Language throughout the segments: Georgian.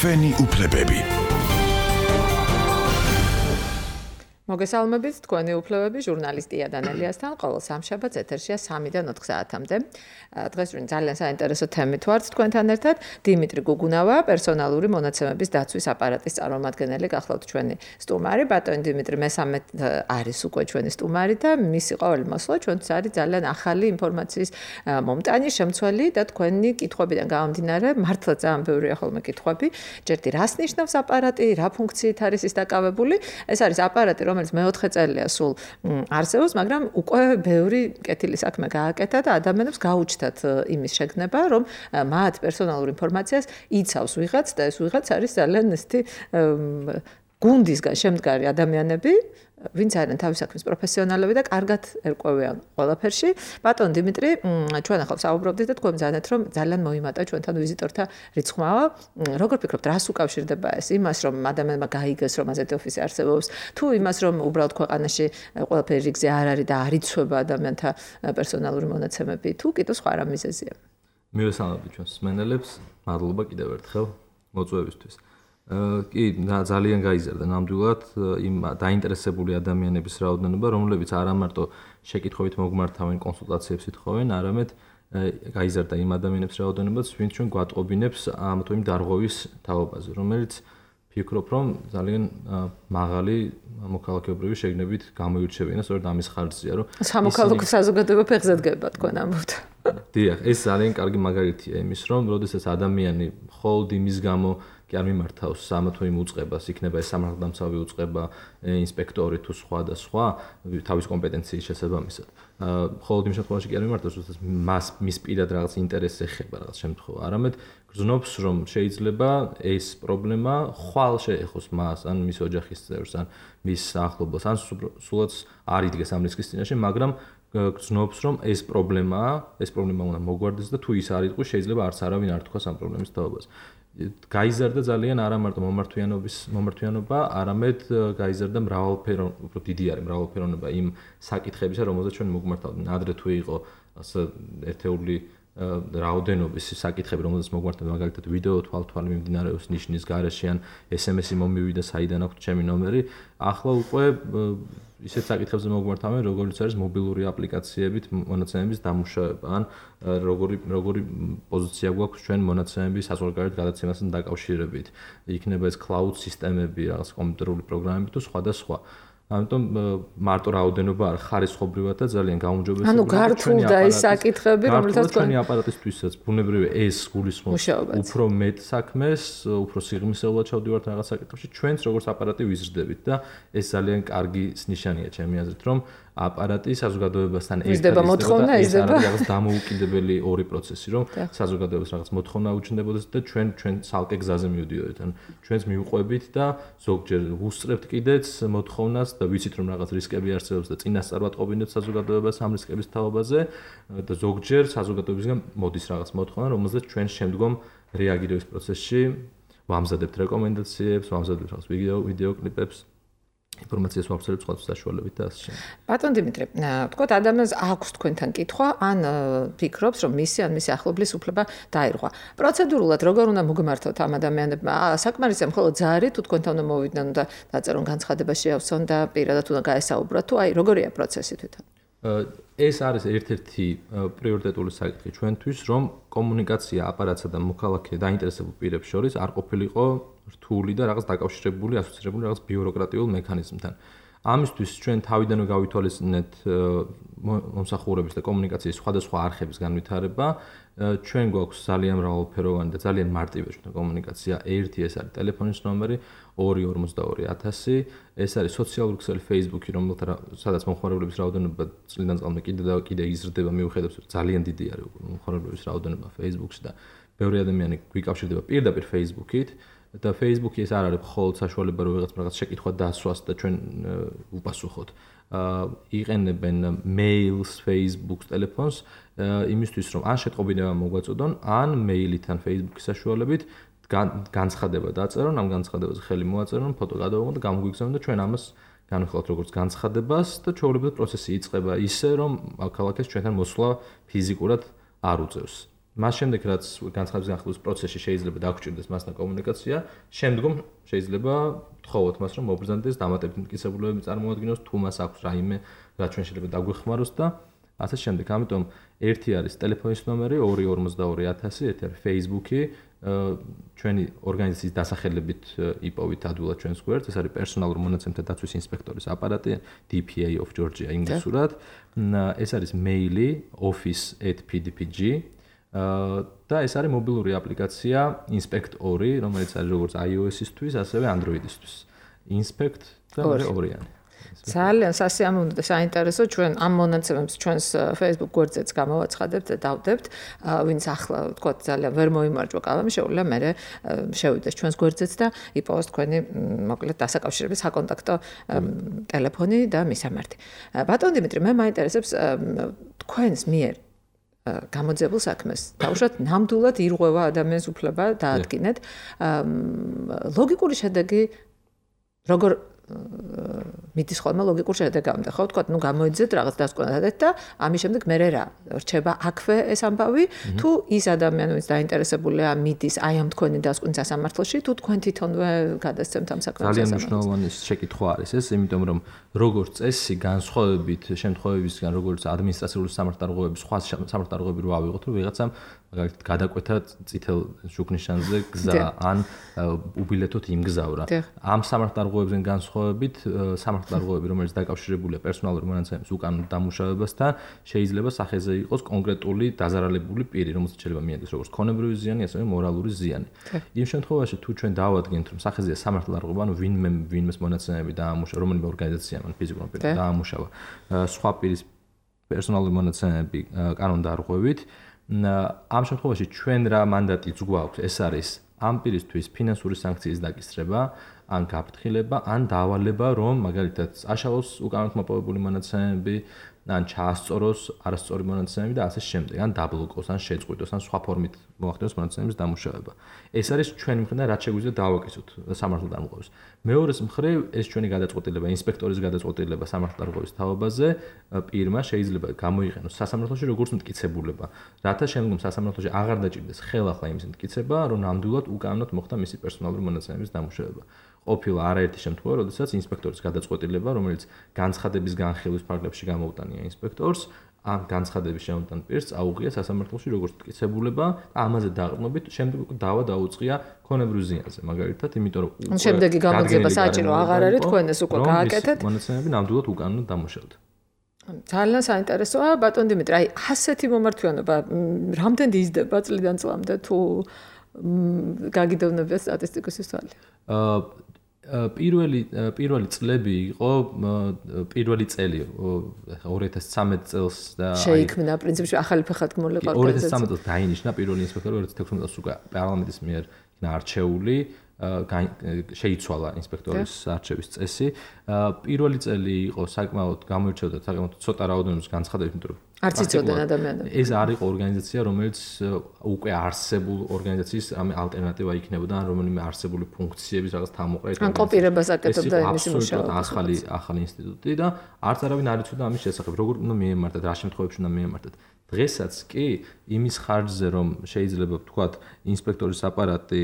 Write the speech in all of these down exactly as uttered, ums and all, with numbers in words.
ჩვენი უფლებები. მოგესალმებით, თქვენი უფლებები ჟურნალისტი იან ელიასთან ყოველ სამშაბათს ეთერშია სამიდან ოთხ საათამდე. დღეს ვინ ძალიან საინტერესო თემით ვართ თქვენთან ერთად. დიმიტრი გუგუნავა, პერსონალური მონაცემების დაცვის აპარატის წარმომადგენელი, გახლავთ ჩვენი სტუმარი. ბატონი დიმიტრი მესამე არის უკვე ჩვენი სტუმარი და მისი ყოველი მოსვლა ჩვენთვის არის ძალიან ახალი ინფორმაციის მომტანი, შემცველი და თქვენი კითხვებიდან გამომდინარე, მართლა ძალიან ბევრია ხოლმე კითხვები. ჯერდი რას ნიშნავს აპარატი, რა ფუნქციით არის ის დაკავებული? ეს არის აპარატი, რომელიც მეოთხე წელია სულ არსებობს, მაგრამ უკვე ბევრი კეთილი საქმე გააკეთა და ადამიანებს გაუჩნდათ იმის შეგნება, რომ მათ პერსონალურ ინფორმაციას იცავს ვიღაც და ეს ვიღაც არის ძალიან ისეთი გუნდისგან შემდგარი ადამიანები, ვინც არიან თავის საქმის პროფესიონალები და კარგად ერკვევიან ყველაფერში. ბატონ დიმიტრი, ჩვენ ახლა საუბრობდით და თქვენ მზადეთ, რომ ძალიან მოიმატა ჩვენთან ვიზიტორთა რიცხვა. როგორ ფიქრობთ, რას უკავშირდება ეს? იმას, რომ ადამიანმა გაიგეს, რომ ასეთი ოფისი არსებობს, თუ იმას, რომ უბრალოდ ქვეყანაში ყველაფერი რიგზე არ არის და არ იცვება ადამიანთა პერსონალური მონაცემები, თუ კიდევ სხვა რა მიზეზია? მივესალმებით ჩვენს მსმენელებს, მადლობა კიდევ ერთხელ მოწვევისთვის. კი, ძალიან გაიზარდა ნამდვილად იმ დაინტერესებული ადამიანების რაოდენობა, რომლებიც არა მარტო შეკითხვებით მოგმართავენ, კონსულტაციებს ითხოვენ, არამედ გაიზარდა იმ ადამიანების რაოდენობაც, ვინც ჩვენ გვატყობინებს ამ თუ იმ დარღვევის თაობაზე, რომელიც ფიქრობ, რომ ძალიან მაღალი მოქალაქეობრივი შეგნებით გამოირჩევიან, სწორედ ამის ხარჯზეა, რომ სამოქალაქო საზოგადოება ფეხზე დგება, თქვენ ამბობთ. დიახ, ეს ძალიან კარგი მაგალითია იმის, რომ როდესაც ადამიანი მხოლოდ იმის გამო კი არ მიმართავს ამ თუ იმ უწყებას, იქნება ეს სამართალდამცავი უწყება, ინსპექტორი თუ სხვა და სხვა, თავის კომპეტენციის შესაბამისად. მხოლოდ იმ შემთხვევაში კი არ მიმართავს, როდესაც მას მის პირად რაღაც ინტერესს ეხება რაღაც შემთხვევა, არამედ გრძნობს, რომ შეიძლება ეს პრობლემა ხვალ შეეხოს მას, ან მის ოჯახის წევრს, ან მის ახლობელს, ან სულაც არ იდგეს ამ რისკის წინაშე, მაგრამ გრძნობს, რომ ეს პრობლემაა, ეს პრობლემა უნდა მოგვარდეს და თუ ის არ იყოს, შეიძლება არც არავინ არ თქვას ამ პრობლემის თაობას. გაიზარდა ძალიან არა მარტო მომართვიანობის მომართვიანობა, არამედ გაიზარდა მრავალფერონ, უფრო დიდი არის მრავალფეროვნება იმ საკითხებისა, რომელზეც ჩვენ მოგმართავდნენ. ადრე თუ იყო ასე ერთეული რაოდენობის საკითხები, რომელზეც მოგმართავდნენ, მაგალითად ვიდეო თვალთვალი მიმდინარეობს ნიშნის გარეშე ან ეს ემ ესი მომივიდა, საიდან აქვს ჩემი ნომერი. ახლა უკვე ისეთ საკითხებზე მოგმართავენ, როგორც არის მობილური აპლიკაციებით მონაცემების დამუშავება, ან როგორი როგორი პოზიცია გვაქვს ჩვენ მონაცემების საზღვარგარეთ გადაცემასთან დაკავშირებით. იქნება ეს cloud სისტემები, რაღაც კომპიუტერული პროგრამები თუ სხვა და სხვა. ამიტომ მარტო რაოდენობა არ ხარისხობრივად და ძალიან გაუმჯობესებულია. ანუ გართულდა ის საკითხები, რომელთაც ჩვენი აპარატისთვისაც ბუნებრივია ეს გულისხმობს უფრო მეტ საქმეს, უფრო სიღრმისეულად ჩავდივართ რაღაც საკითხებში, ჩვენც როგორც აპარატი ვიზრდებით და ეს ძალიან კარგი ნიშანია ჩემი აზრით, რომ აპარატი საზოგადოებასთან ერთად მოთხოვნა იზრდება. რაღაც დამოუკიდებელი ორი პროცესი, რომ საზოგადოებას რაღაც მოთხოვნა უჩნდებოდეს და ჩვენ ჩვენ ცალკე გზაზე მივდიოდეთ. ან ჩვენც მივყვებით და ზოგჯერ ვუსწრებთ კიდეც მოთხოვნას და ვიცით რომ რაღაც რისკები არსებობს და წინასწარ ვატყობინებთ საზოგადოებას ამ რისკების თაობაზე და ზოგჯერ საზოგადოებისგან მოდის რაღაც მოთხოვნა, რომელზეც ჩვენ შემდგომ რეაგირების პროცესში ვამზადებთ რეკომენდაციებს, ვამზადებთ რაღაც ვიდეო ვიდეო კლიპებს. ინფორმაციას ვაფსერებთ სხვა საშუალებით და ასე შემდეგ. ბატონ დიმიტრი, თქვათ ადამიანს აქვს თქვენთან კითხვა, ან ფიქრობს, რომ მისი ან მისი ახლობლის უფლება დაირღვა. პროცედურულად როგორ უნდა მოგმართოთ ამ ადამიანებმა? საკმარისია მხოლოდ ზარი, თუ თქვენთან უნდა მოვიდნენ და დაწერონ განცხადება შეავსონ და პირადად უნდა გაესაუბროთ, თუ აი როგორია პროცესი თვითონ? ეს არის ერთ-ერთი პრიორიტეტული საკითხი ჩვენთვის, რომ კომუნიკაცია აპარატსა და მოქალაქე დაინტერესებულ პირებს შორის არ ყოფილიყო რთული და რაღაც დაკავშირებული, ასოცირებული რაღაც ბიუროკრატიულ მექანიზმთან. ამისთვის ჩვენ თავიდანვე გავითვალისწინეთ მომსახურების და კომუნიკაციის სხვადასხვა არხების განვითარება. ჩვენ გვაქვს ძალიან მრავალფეროვანი და ძალიან მარტივი ჩვენი კომუნიკაცია. ერთი ეს არის ტელეფონის ნომერი ორი ორმოცდაორი ათასი, ეს არის სოციალური ქსელი Facebook-ი, რომელთა სადაც მომხმარებლების რაოდენობა წლიდან წლამდე კიდე და კიდე იზრდება, მიუხედავად რომ ძალიან დიდი არის მომხმარებლების რაოდენობა Facebook-ში და ბევრი ადამიანი გვიკავშირდება პირდაპირ Facebook-ით. და Facebook-ი ეს არ არის მხოლოდ საშუალება, რომ ვიღაც რაღაც შეკითხვა დასვას და ჩვენ უპასუხოთ. იყენებენ mails, Facebook-ს, ტელეფონს იმისთვის, რომ ან შეტყობინება მოგვაწოდონ, ან mail-ით ან Facebook-ის საშუალებით განცხადება დაწერონ, ამ განცხადებაზე ხელი მოაწერონ, ფოტო გადავიღონ და გამოგვიგზავნონ და ჩვენ ამას განვიხილავთ როგორც განცხადებას და ჩვეულებრივ პროცესი იწყება ისე, რომ ქალაქეს ჩვენთან მოსვლა ფიზიკურად არ უწევს. მას შემდეგ რაც განცხადების განხილვის პროცესში შეიძლება დაგჭირდეს მასთან კომუნიკაცია, შემდგომ შეიძლება თხოვოთ მას რომ მობრძანდეს დამატებითი მტკიცებულებები წარმოადგინოს, თუ მას აქვს რაიმე რაც ჩვენ შეიძლება დაგვეხმაროს და ასე შემდეგ. ამიტომ ერთი არის ტელეფონის ნომერი ორი ორმოცდაორი ათასი, ერთი არის Facebook-ი, ჩვენი ორგანიზაციის დასახელებით იპოვით ადვილად ჩვენს გვერდს, ეს არის პერსონალურ მონაცემთა დაცვის ინსპექტორის აპარატი D P A of Georgia ინგლისურად. ეს არის მეილი office at p d p g და ეს არის მობილური აპლიკაცია Inspect ორი, რომელიც არის როგორც iOS-ისთვის, ასევე Android-ისთვის. Inspect და ორიანი. ძალიან სასიამოვნო და საინტერესო ჩვენ ამ მონაცემებს ჩვენს Facebook გვერდზეც გამოვაცხადებთ და დავდებთ. ვინც ახლა თქო ძალიან ვერ მოიმარჯვა კალამი, შეუძლია მე შევიდეს ჩვენს გვერდზეც და იპოვოს თქვენი მოკლედ დასაკავშირების საკონტაქტო ტელეფონი და მისამართი. ბატონ დიმიტრი, მე მაინტერესებს თქვენს მიერ გამოძებულ საქმეს. თავშოთ ნამდვილად ირღვევა ადამიანის უფლება დაადგინეთ. ლოგიკური შედეგი როგორ მიდის ხოლმე ლოგიკურ შედეგამდე, ხო? თქვა, ნუ გამოიძეთ რაღაც დასკვნადეთ და ამის შემდეგ მე რა რჩება აქვე ეს ამბავი, თუ ის ადამიანი, ვინც დაინტერესებულია, მიდის აი ამ თქვენი დასკვნის სასამართლოში, თუ თქვენ თვითონვე გადასცემთ ამ საქმეს. ძალიან მნიშვნელოვანი შეკითხვა არის ეს, იმიტომ რომ როგორც წესი განსხვავებით შემთხვევებისგან, როგორც ადმინისტრაციული სამართალდარღვევების, სხვა სამართალდარღვევები რო ავიღოთ, რომ ვიღაცამ მაგალითად გადაკვეთა წითელ შუქნიშანზე გზა ან უბილეთოთ იმგზავრა. ამ სამართალდარღვევებიდან განსხვავებით, სამართალდარღვევები, რომელიც დაკავშირებულია პერსონალური მონაცემების უკანონო დამუშავებასთან, შეიძლება სახეზე იყოს კონკრეტული დაზარალებული პირი, რომელსაც შეიძლება მიადგეს როგორც ქონებრივი ზიანი, ასევე მორალური ზიანი. იმ შემთხვევაში, თუ ჩვენ დავადგენთ, რომ სახეზეა სამართალდარღვევა, ანუ ვინმე ვინმეს მონაცემები დაამუშავა, რომელიმე ორგანიზაციამ, ან ფიზიკურმა პირმა დაამუშავა სხვა პირის პერსონალური მონაცემები კანონდარღვევით, ამ შემთხვევაში ჩვენ რა მანდატიც გვაქვს, ეს არის ამ პირისთვის ფინანსური სანქციის დაკისრება, ან გაფრთხილება, ან დავალება, რომ მაგალითად აშალოს უკანონოდ მოპოვებული მონაცემები, ან ჩაასწოროს არასწორი მონაცემები და ასე შემდეგ, ან დაბლოკოს, ან შეწყვიტოს, ან სხვა ფორმით მოახდინოს მონაცემების დამუშავება. ეს არის ჩვენი მხრიდან რაც შეგვიძლია დავაკისოთ სამართალდამყაროს. მეორეს მხრივ, ეს ჩვენი გადაწყვეტილება, ინსპექტორის გადაწყვეტილება სამართალდამყაროს თავობაზე პირმა შეიძლება გამოიყენოს სასამართლოში როგორც მტკიცებულება, რათა შემდგომ სასამართლოში აღარ დაჭირდეს ხელახლა იმის მტკიცება, რომ ნამდვილად უკანონოდ მოხდა მისი პერსონალური მონაცემების დამუშავება. ყოფილა არაერთი შემთხვევა, როდესაც ინსპექტორის გადაწყვეტილება, რომელიც განცხადების განხილვის ფარგლებში გამოუტანია ინსპექტორს, ამ განცხადების შემოტან პირს აუღია სასამართლოში როგორც მტკიცებულება და ამაზე დაყრდნობით შემდეგ უკვე დავა დაუწყია ქონებრივ ზიანზე, მაგალითად, იმიტომ რომ შემდეგი გამოძიება საჭირო აღარ არის, თქვენ ეს უკვე გააკეთეთ. მონაცემები ნამდვილად უკანონოდ დამუშავდა. ძალიან საინტერესოა, ბატონ დიმიტრი, აი ასეთი მომართვიანობა რამდენი იზრდება წლიდან წლამდე თუ გაგიდოვნებია სტატისტიკოსის თვალით? აა პირველი პირველი წლები იყო პირველი წელი ორი ათას ცხრამეტ წელს და შეიქმნა პრინციპში ახალი ფეხადგმული ორგანიზაცია. ორი ათას ცხრამეტ წელს დაინიშნა პირველი ინსპექტორი, ორი ათას თექვსმეტ წელს უკვე პარლამენტის მიერ იქნა არჩეული, შეიცვალა ინსპექტორის არჩევის წესი. პირველი წელი იყო საკმაოდ გამოირჩეოდა საკმაოდ ცოტა რაოდენობის განცხადებით, იმიტომ რომ არც იცოდნენ ადამიანები. ეს არ იყო ორგანიზაცია, რომელიც უკვე არსებულ ორგანიზაციის ამ ალტერნატივა იქნებოდა, ან რომელიმე არსებული ფუნქციების რაღაც თავმოყრით. ან კოპირებას აკეთებდა იმის მუშაობა. ახალი ახალი ინსტიტუტი და არც არავინ არ იცოდა ამის შესახებ, როგორ უნდა მიემართათ, რა შემთხვევებში უნდა მიემართათ. დღესაც კი იმის ხარჯზე, რომ შეიძლება ვთქვათ, ინსპექტორის აპარატი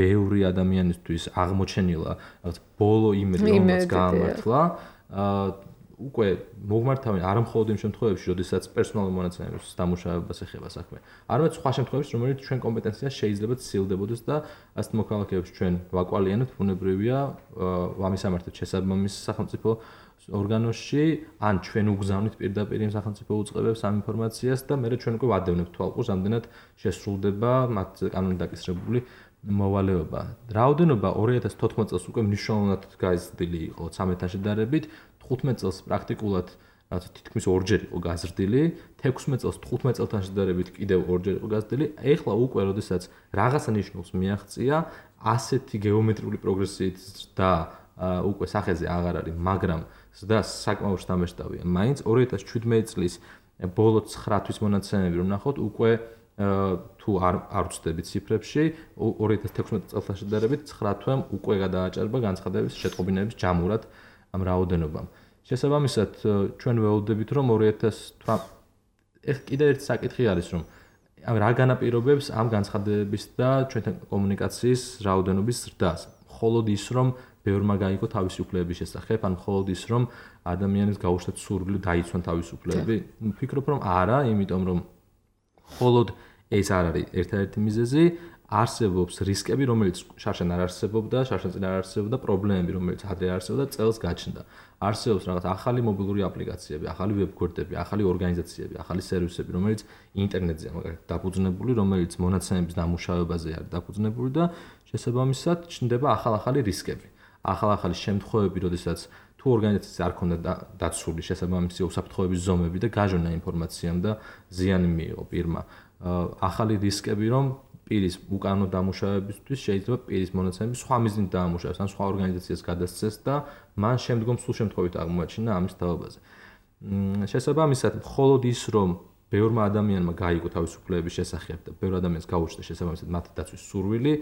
ბევრი ადამიანისთვის აღმოჩენილა, რაღაც ბოლო იმედი რომელიც გაამართლა, უკვე მოგმართავენ არა მხოლოდ იმ შემთხვევებში, როდესაც პერსონალური მონაცემების დამუშავებას ეხება საქმე, არამედ სხვა შემთხვევებში, რომელიც ჩვენ კომპეტენციას შეიძლება ცილდებოდეს და ასეთ მოქალაქეებს ჩვენ ვაკვალიანებთ, ბუნებრივია, ვამისამართებთ შესაბამის სახელმწიფო ორგანოში, ან ჩვენ უგზავნით პირდაპირ იმ სახელმწიფო უწყებებს ამ ინფორმაციას და მე ჩვენ უკვე ვადევნებთ თვალყურს, ამდენად შესრულდება მათ კანონით დაკისრებული მოვალეობა. რაოდენობა ორი ათას თოთხმეტ წელს უკვე მნიშვნელოვნად გაზრდილი იყო ცამეტთან შედარებით, თხუთმეტ წელს პრაქტიკულად რაც თითქმის ორჯერ იყო გაზრდილი, თექვსმეტ წელს თხუთმეტ წელთან შედარებით კიდევ ორჯერ იყო გაზრდილი. ეხლა უკვე როდესაც რაღაცა ნიშნულს მიაღწია, ასეთი გეომეტრიული პროგრესიით და უკვე სახეზე აღარ არის, მაგრამ და საკმაოდ შთამბეჭდავია. მაინც ორი ათას შვიდმეტ წლის ბოლო ცხრა თვის მონაცემები რომ ნახოთ, უკვე თუ არ არ ვწდებით ციფრებში, ორი ათას თექვსმეტ წელთან შედარებით ცხრა თვემ უკვე გადააჭარბა განცხადების შეტყობინების ჯამურად ამ რაოდენობამ. შესაბამისად, ჩვენ ველოდებით, რომ ორი ათას ეხ კიდევ ერთი საკითხი არის, რომ რა განაპირობებს ამ განცხადების და ჩვენთან კომუნიკაციის რაოდენობის ზრდას. მხოლოდ ის, რომ ბევრმა გაიგო თავისი უფლებების შესახებ, ან მხოლოდ ის, რომ ადამიანებს გაუშვათ სურვილი დაიცვან თავისი უფლებები. ვფიქრობ, რომ არა, იმიტომ რომ მხოლოდ ეს არ არის ერთ-ერთი მიზეზი, არსებობს რისკები, რომელიც შარშან არ არსებობდა, შარშან წინ არ არსებობდა, პრობლემები, რომელიც ადრე არსებობდა, წელს გაჩნდა. არსებობს რაღაც ახალი მობილური აპლიკაციები, ახალი ვებგვერდები, ახალი ორგანიზაციები, ახალი სერვისები, რომელიც ინტერნეტზეა მაგალითად დაფუძნებული, რომელიც მონაცემების დამუშავებაზე არის დაფუძნებული და შესაბამისად ჩნდება ახალ-ახალი რისკები. ახალ-ახალი შემთხვევები, როდესაც თუ ორგანიზაციას არ ქონდა დაცული შესაბამისი უსაფრთხოების ზომები და გაჟონა ინფორმაციამ და ზიანი მიიღო პირმა. ახალი რისკები, რომ პირის უკანონო დამუშავებისთვის შეიძლება პირის მონაცემები სხვა მიზნით დაამუშავოს, ან სხვა ორგანიზაციას გადასცეს და მან შემდგომ სულ შემთხვევით აღმოაჩინა ამის თავაზე. შესაბამისად, მხოლოდ ის, რომ ბევრმა ადამიანმა გაიგო თავის უფლებების შესახებ და ბევრ ადამიანს გაუჩნდა შესაბამისად მათი დაცვის სურვილი,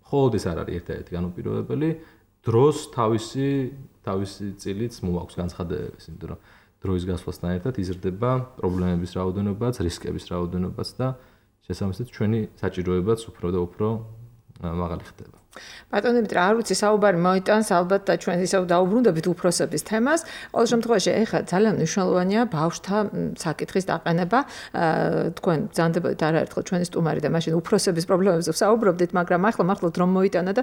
მხოლოდ ეს არ არის ერთ-ერთი განუპირობებელი, დროს თავისი თავისი წილიც მოაქვს განცხადებების, იმიტომ რომ დროის გასვლასთან ერთად იზრდება პრობლემების რაოდენობაც, რისკების რაოდენობაც და შესაბამისად ჩვენი საჭიროებაც უფრო და უფრო მაღალი ხდება. ბატონო დიმიტრი, არ ვიცი, საუბარი მოიტანს ალბათ და ჩვენ ისევ დაუბრუნდებით უფროსების თემას. ყოველ შემთხვევაში, ეხლა ძალიან მნიშვნელოვანია ბავშვთა საკითხის დაყენება. თქვენ ბრძანდებოდით არაერთხელ ჩვენი სტუმარი და მაშინ უფროსების პრობლემებზე ვსაუბრობდით, მაგრამ ახლა მართლა დრო მოიტანა და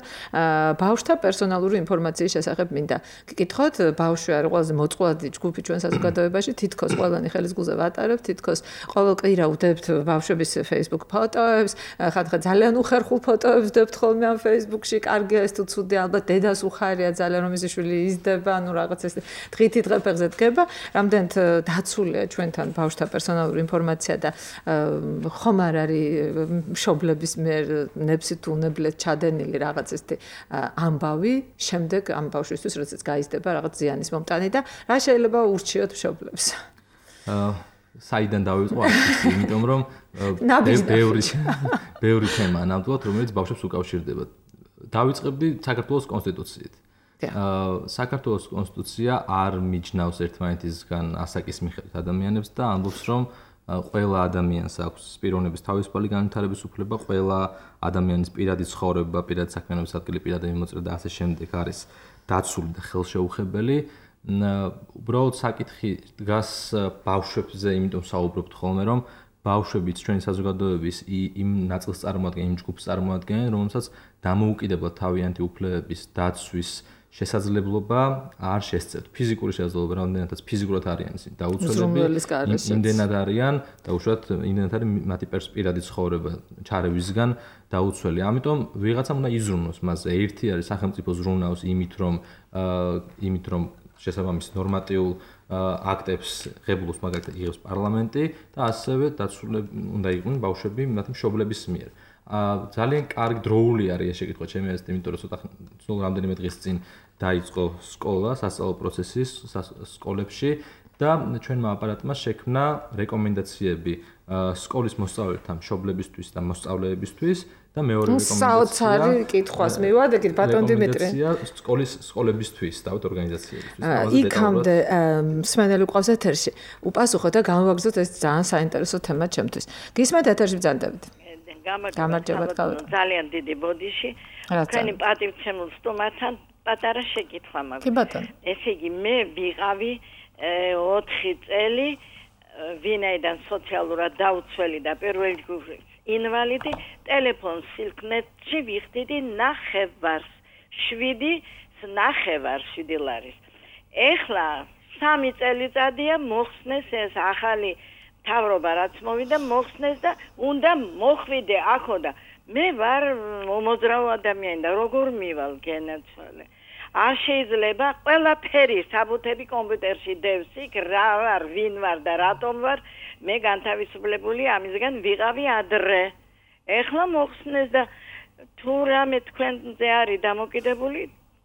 ბავშვთა პერსონალური ინფორმაციის შესახებ მინდა გკითხოთ. ბავშვი არის ყველაზე მოწყვლადი ჯგუფი ჩვენ საზოგადოებაში, თითქოს ყველანი ხელის გულზე ვატარებთ, თითქოს ყოველ კვირა ვდებთ ბავშვების Facebook ფოტოებს, ხათხა ძალიან უხერხულ ფოტოებს ვდებთ ხოლმე ამ Facebook კარგია ეს თუ ცუდი, ალბათ დედას უხარია ძალიან რომ ის შვილი იზრდება, ანუ რაღაც ეს დღითი დღე ფეხზე დგება, რამდენთ დაცულია ჩვენთან ბავშვთა პერსონალური ინფორმაცია და ხომ არ არის მშობლების მიერ ნებსით უნებლეთ ჩადენილი რაღაც ესეთი ამბავი, შემდეგ ამ ბავშვისთვის როდესაც გაიზრდება რაღაც ზიანის მომტანი და რა შეიძლება ურჩიოთ მშობლებს? საიდან დავიწყო აქ, იმიტომ რომ ბევრი ბევრი თემა ნამდვილად რომელიც ბავშვებს უკავშირდება. დავიწყებდი საქართველოს კონსტიტუციით. საქართველოს კონსტიტუცია არ მიჯნავს ერთმანეთისგან ასაკის მიხედვით ადამიანებს და ამბობს, რომ ყველა ადამიანს აქვს პიროვნების თავისუფალი განვითარების უფლება, ყველა ადამიანის პირადი ცხოვრება, პირადი საქმიანობის ადგილი, პირადი მიმოწერა და ასე შემდეგ არის დაცული და ხელშეუხებელი. უბრალოდ საკითხი დგას ბავშვებზე, იმიტომ საუბრობთ ხოლმე, რომ ბავშვებიც ჩვენი საზოგადოების იმ ნაწილს წარმოადგენენ, იმ ჯგუფს წარმოადგენენ, რომელსაც დამოუკიდებლად თავიანთი უფლებების დაცვის შესაძლებლობა არ შესწევთ. ფიზიკური შესაძლებლობა, რამდენადაც ფიზიკურად არიან ისინი დაუცველები, იმდენად არიან და უშუალოდ იმდენად არის მათი პირადი ცხოვრება ჩარევისგან დაუცველი. ამიტომ ვიღაცამ უნდა იზრუნოს მასზე. ერთი არის სახელმწიფო ზრუნავს იმით, რომ იმით, რომ შესაბამის ნორმატიულ აქტებს ღებულობს მაგალითად იღებს პარლამენტი და ასევე დაცულები უნდა იყვნენ ბავშვები მათი მშობლების მიერ. ძალიან კარგი დროული არის ეს შეკითხვა ჩემი აზრით, იმიტომ რომ ცოტა სულ რამდენიმე დღის წინ დაიწყო სკოლა, სასწავლო პროცესი სკოლებში და ჩვენმა აპარატმა შექმნა რეკომენდაციები სკოლის მოსწავლეთა მშობლებისთვის და მოსწავლეებისთვის და მეორე რეკომენდაცია საოცარი კითხვას მივადგეთ ბატონ დიმიტრი. სკოლის სკოლებისთვის, დავით ორგანიზაციებისთვის. იქამდე მსმენელი ყავს ეთერში. უპასუხოთ და გამოვაგზავნოთ ეს ძალიან საინტერესო თემა ჩემთვის. გისმენთ ეთერში ბრძანდებით. გამარჯობა ძალიან დიდი ბოდიში. თქვენი პატივცემულ სტუმართან პატარა შეკითხვა მაქვს. კი ბატონო. ესე იგი მე ვიყავი ოთხი წელი ვინაიდან სოციალურად დაუცველი და პირველი ჯგუფის ინვალიდი, ტელეფონ სილკნეტში ვიხდიდი ნახევარს, შვიდი ნახევარს შვიდი ლარის. ეხლა სამი წელიწადია მოხსნეს ეს ახალი თავრობა რაც მოვიდა მოხსნეს და უნდა მოხვიდე აქო და მე ვარ მომოძრავ ადამიანი და როგორ მივალ გენაცვალე. არ შეიძლება ყველაფერი საბუთები კომპიუტერში დევს იქ რა ვარ, ვინ ვარ და რატომ ვარ, მე განთავისუფლებული ამისგან ვიყავი ადრე. ეხლა მოხსნეს და თუ რამე თქვენზე არის დამოკიდებული,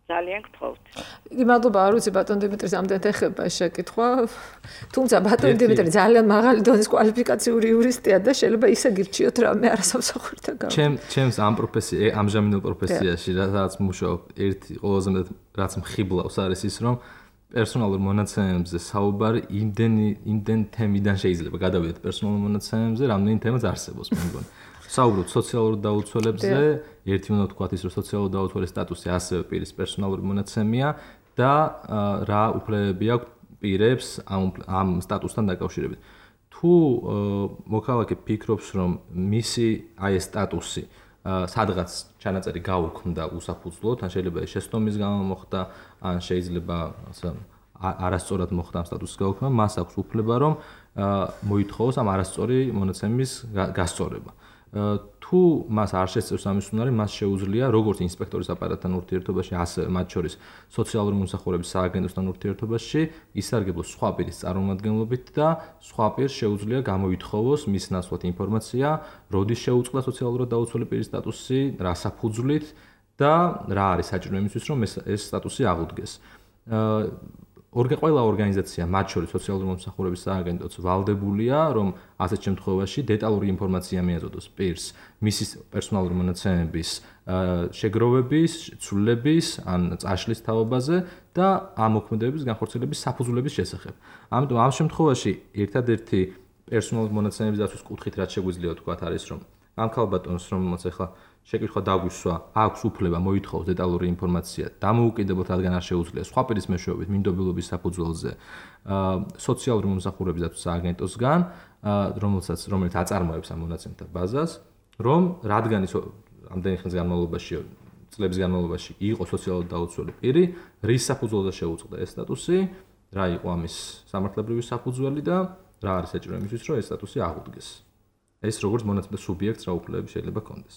ძალიან გთხოვთ. იგი მადლობა, არ ვიცი ბატონ დიმიტრის ამდენად ეხება ეს შეკითხვა. თუმცა ბატონ დიმიტრი ძალიან მაღალი დონის კვალიფიკაციური იურისტია და შეიძლება ისე გირჩიოთ რამე არასამსახურთა გამო. ჩემ ჩემს ამ პროფესიაში, ამჟამინდელ პროფესიაში, რაც მუშაობ, ერთი ყველაზე მეტად რაც მხიბლავს არის ის, რომ პერსონალურ მონაცემებზე საუბარი იმდენი იმდენ თემიდან შეიძლება გადავიდეთ პერსონალურ მონაცემებზე, რამდენი თემაც არსებობს, მე მგონი. საუბრობთ სოციალურ დაუცველებზე, ერთი უნდა ვთქვათ ის, რომ სოციალურ დაუცველის სტატუსი ასევე პირის პერსონალური მონაცემია და რა უფლებები აქვს პირებს ამ ამ სტატუსთან დაკავშირებით. თუ მოქალაქე ფიქრობს, რომ მისი აი ეს სტატუსი სადღაც ჩანაწერი გაუქმდა უსაფუძვლოდ, ან შეიძლება ეს შეცდომის გამო მოხდა, ან შეიძლება ასე არასწორად მოხდა ამ სტატუსის გაუქმება, მას აქვს უფლება, რომ მოითხოვოს ამ არასწორი მონაცემის გასწორება. თუ მას არ შესწევს ამის უნარი, მას შეუძლია როგორც ინსპექტორის აპარატთან ურთიერთობაში, ასევე მათ შორის სოციალური მომსახურების სააგენტოსთან ურთიერთობაში ისარგებლოს სხვა პირის წარმომადგენლობით და სხვა პირს შეუძლია გამოითხოვოს მის ნაცვლად ინფორმაცია, როდის შეუწყდა სოციალურად დაუცველი პირის სტატუსი, რა საფუძვლით და რა არის საჭირო იმისთვის, რომ ეს ეს სტატუსი აღუდგეს. ყველა ორგანიზაცია, მათ შორის სოციალური მომსახურების სააგენტოც ვალდებულია, რომ ასეთ შემთხვევაში დეტალური ინფორმაცია მიაწოდოს პირს მისი პერსონალური მონაცემების შეგროვების, ცვლილების ან წაშლის თაობაზე და ამ მოქმედებების განხორციელების საფუძვლების შესახებ. ამიტომ ამ შემთხვევაში ერთადერთი პერსონალური მონაცემების დაცვის კუთხით რაც შეგვიძლია ვთქვათ არის, რომ ამ ქალბატონს, რომელმაც ახლა შეკითხვა დაგვისვა, აქვს უფლება მოითხოვოს დეტალური ინფორმაცია დამოუკიდებლად, რადგან არ შეუძლია სხვა პირის მეშვეობით მინდობილობის საფუძველზე სოციალური მომსახურების დაცვის სააგენტოსგან, რომელსაც რომელიც აწარმოებს ამ მონაცემთა ბაზას, რომ რადგან ის ამდენი ხნის განმავლობაში, წლების განმავლობაში იყო სოციალურად დაუცველი პირი, რის საფუძველზე შეუწყდა ეს სტატუსი, რა იყო ამის სამართლებრივი საფუძველი და რა არის საჭირო იმისთვის, რომ ეს სტატუსი აღუდგეს. ეს როგორც მონაცემთა სუბიექტს რა უფლებები შეიძლება ჰქონდეს.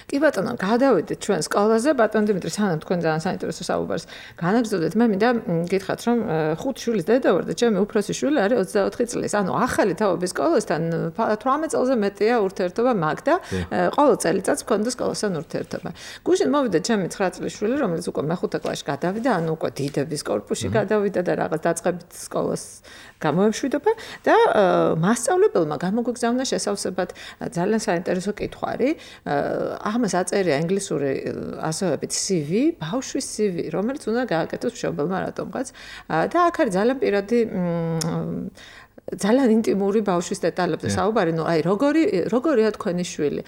კი ბატონო, გადავიდეთ ჩვენ სკოლაზე, ბატონ დიმიტრი, სანამ თქვენ ძალიან საინტერესო საუბარს განაგრძობდეთ, მე მინდა გითხრათ, რომ ხუთ შვილის დედა ვარ და ჩემი უფროსი შვილი არის ოცდაოთხი წლის. ანუ ახალი თაობის სკოლასთან თვრამეტ წელზე მეტია ურთიერთობა მაგ და ყოველ წელიწადს მქონდა სკოლასთან ურთიერთობა. გუშინ მოვიდა ჩემი ცხრა წლის შვილი, რომელიც უკვე მეხუთე კლასში გადავიდა, ანუ უკვე დიდების კორპუსში გადავიდა და რაღაც დაწყებით სკოლას გამოემშვიდობა და მასწავლებელმა გამოგვიგზავნა შესავსებად ძალიან საინტერესო კითხვარი. ამას აწერია ინგლისური ასოებით C V, ბავშვის C V, რომელიც უნდა გააკეთოს მშობელმა რატომღაც და აქ არის ძალიან პირადი ძალიან ინტიმური ბავშვის დეტალებზე საუბარი, ნუ აი როგორი როგორია თქვენი შვილი,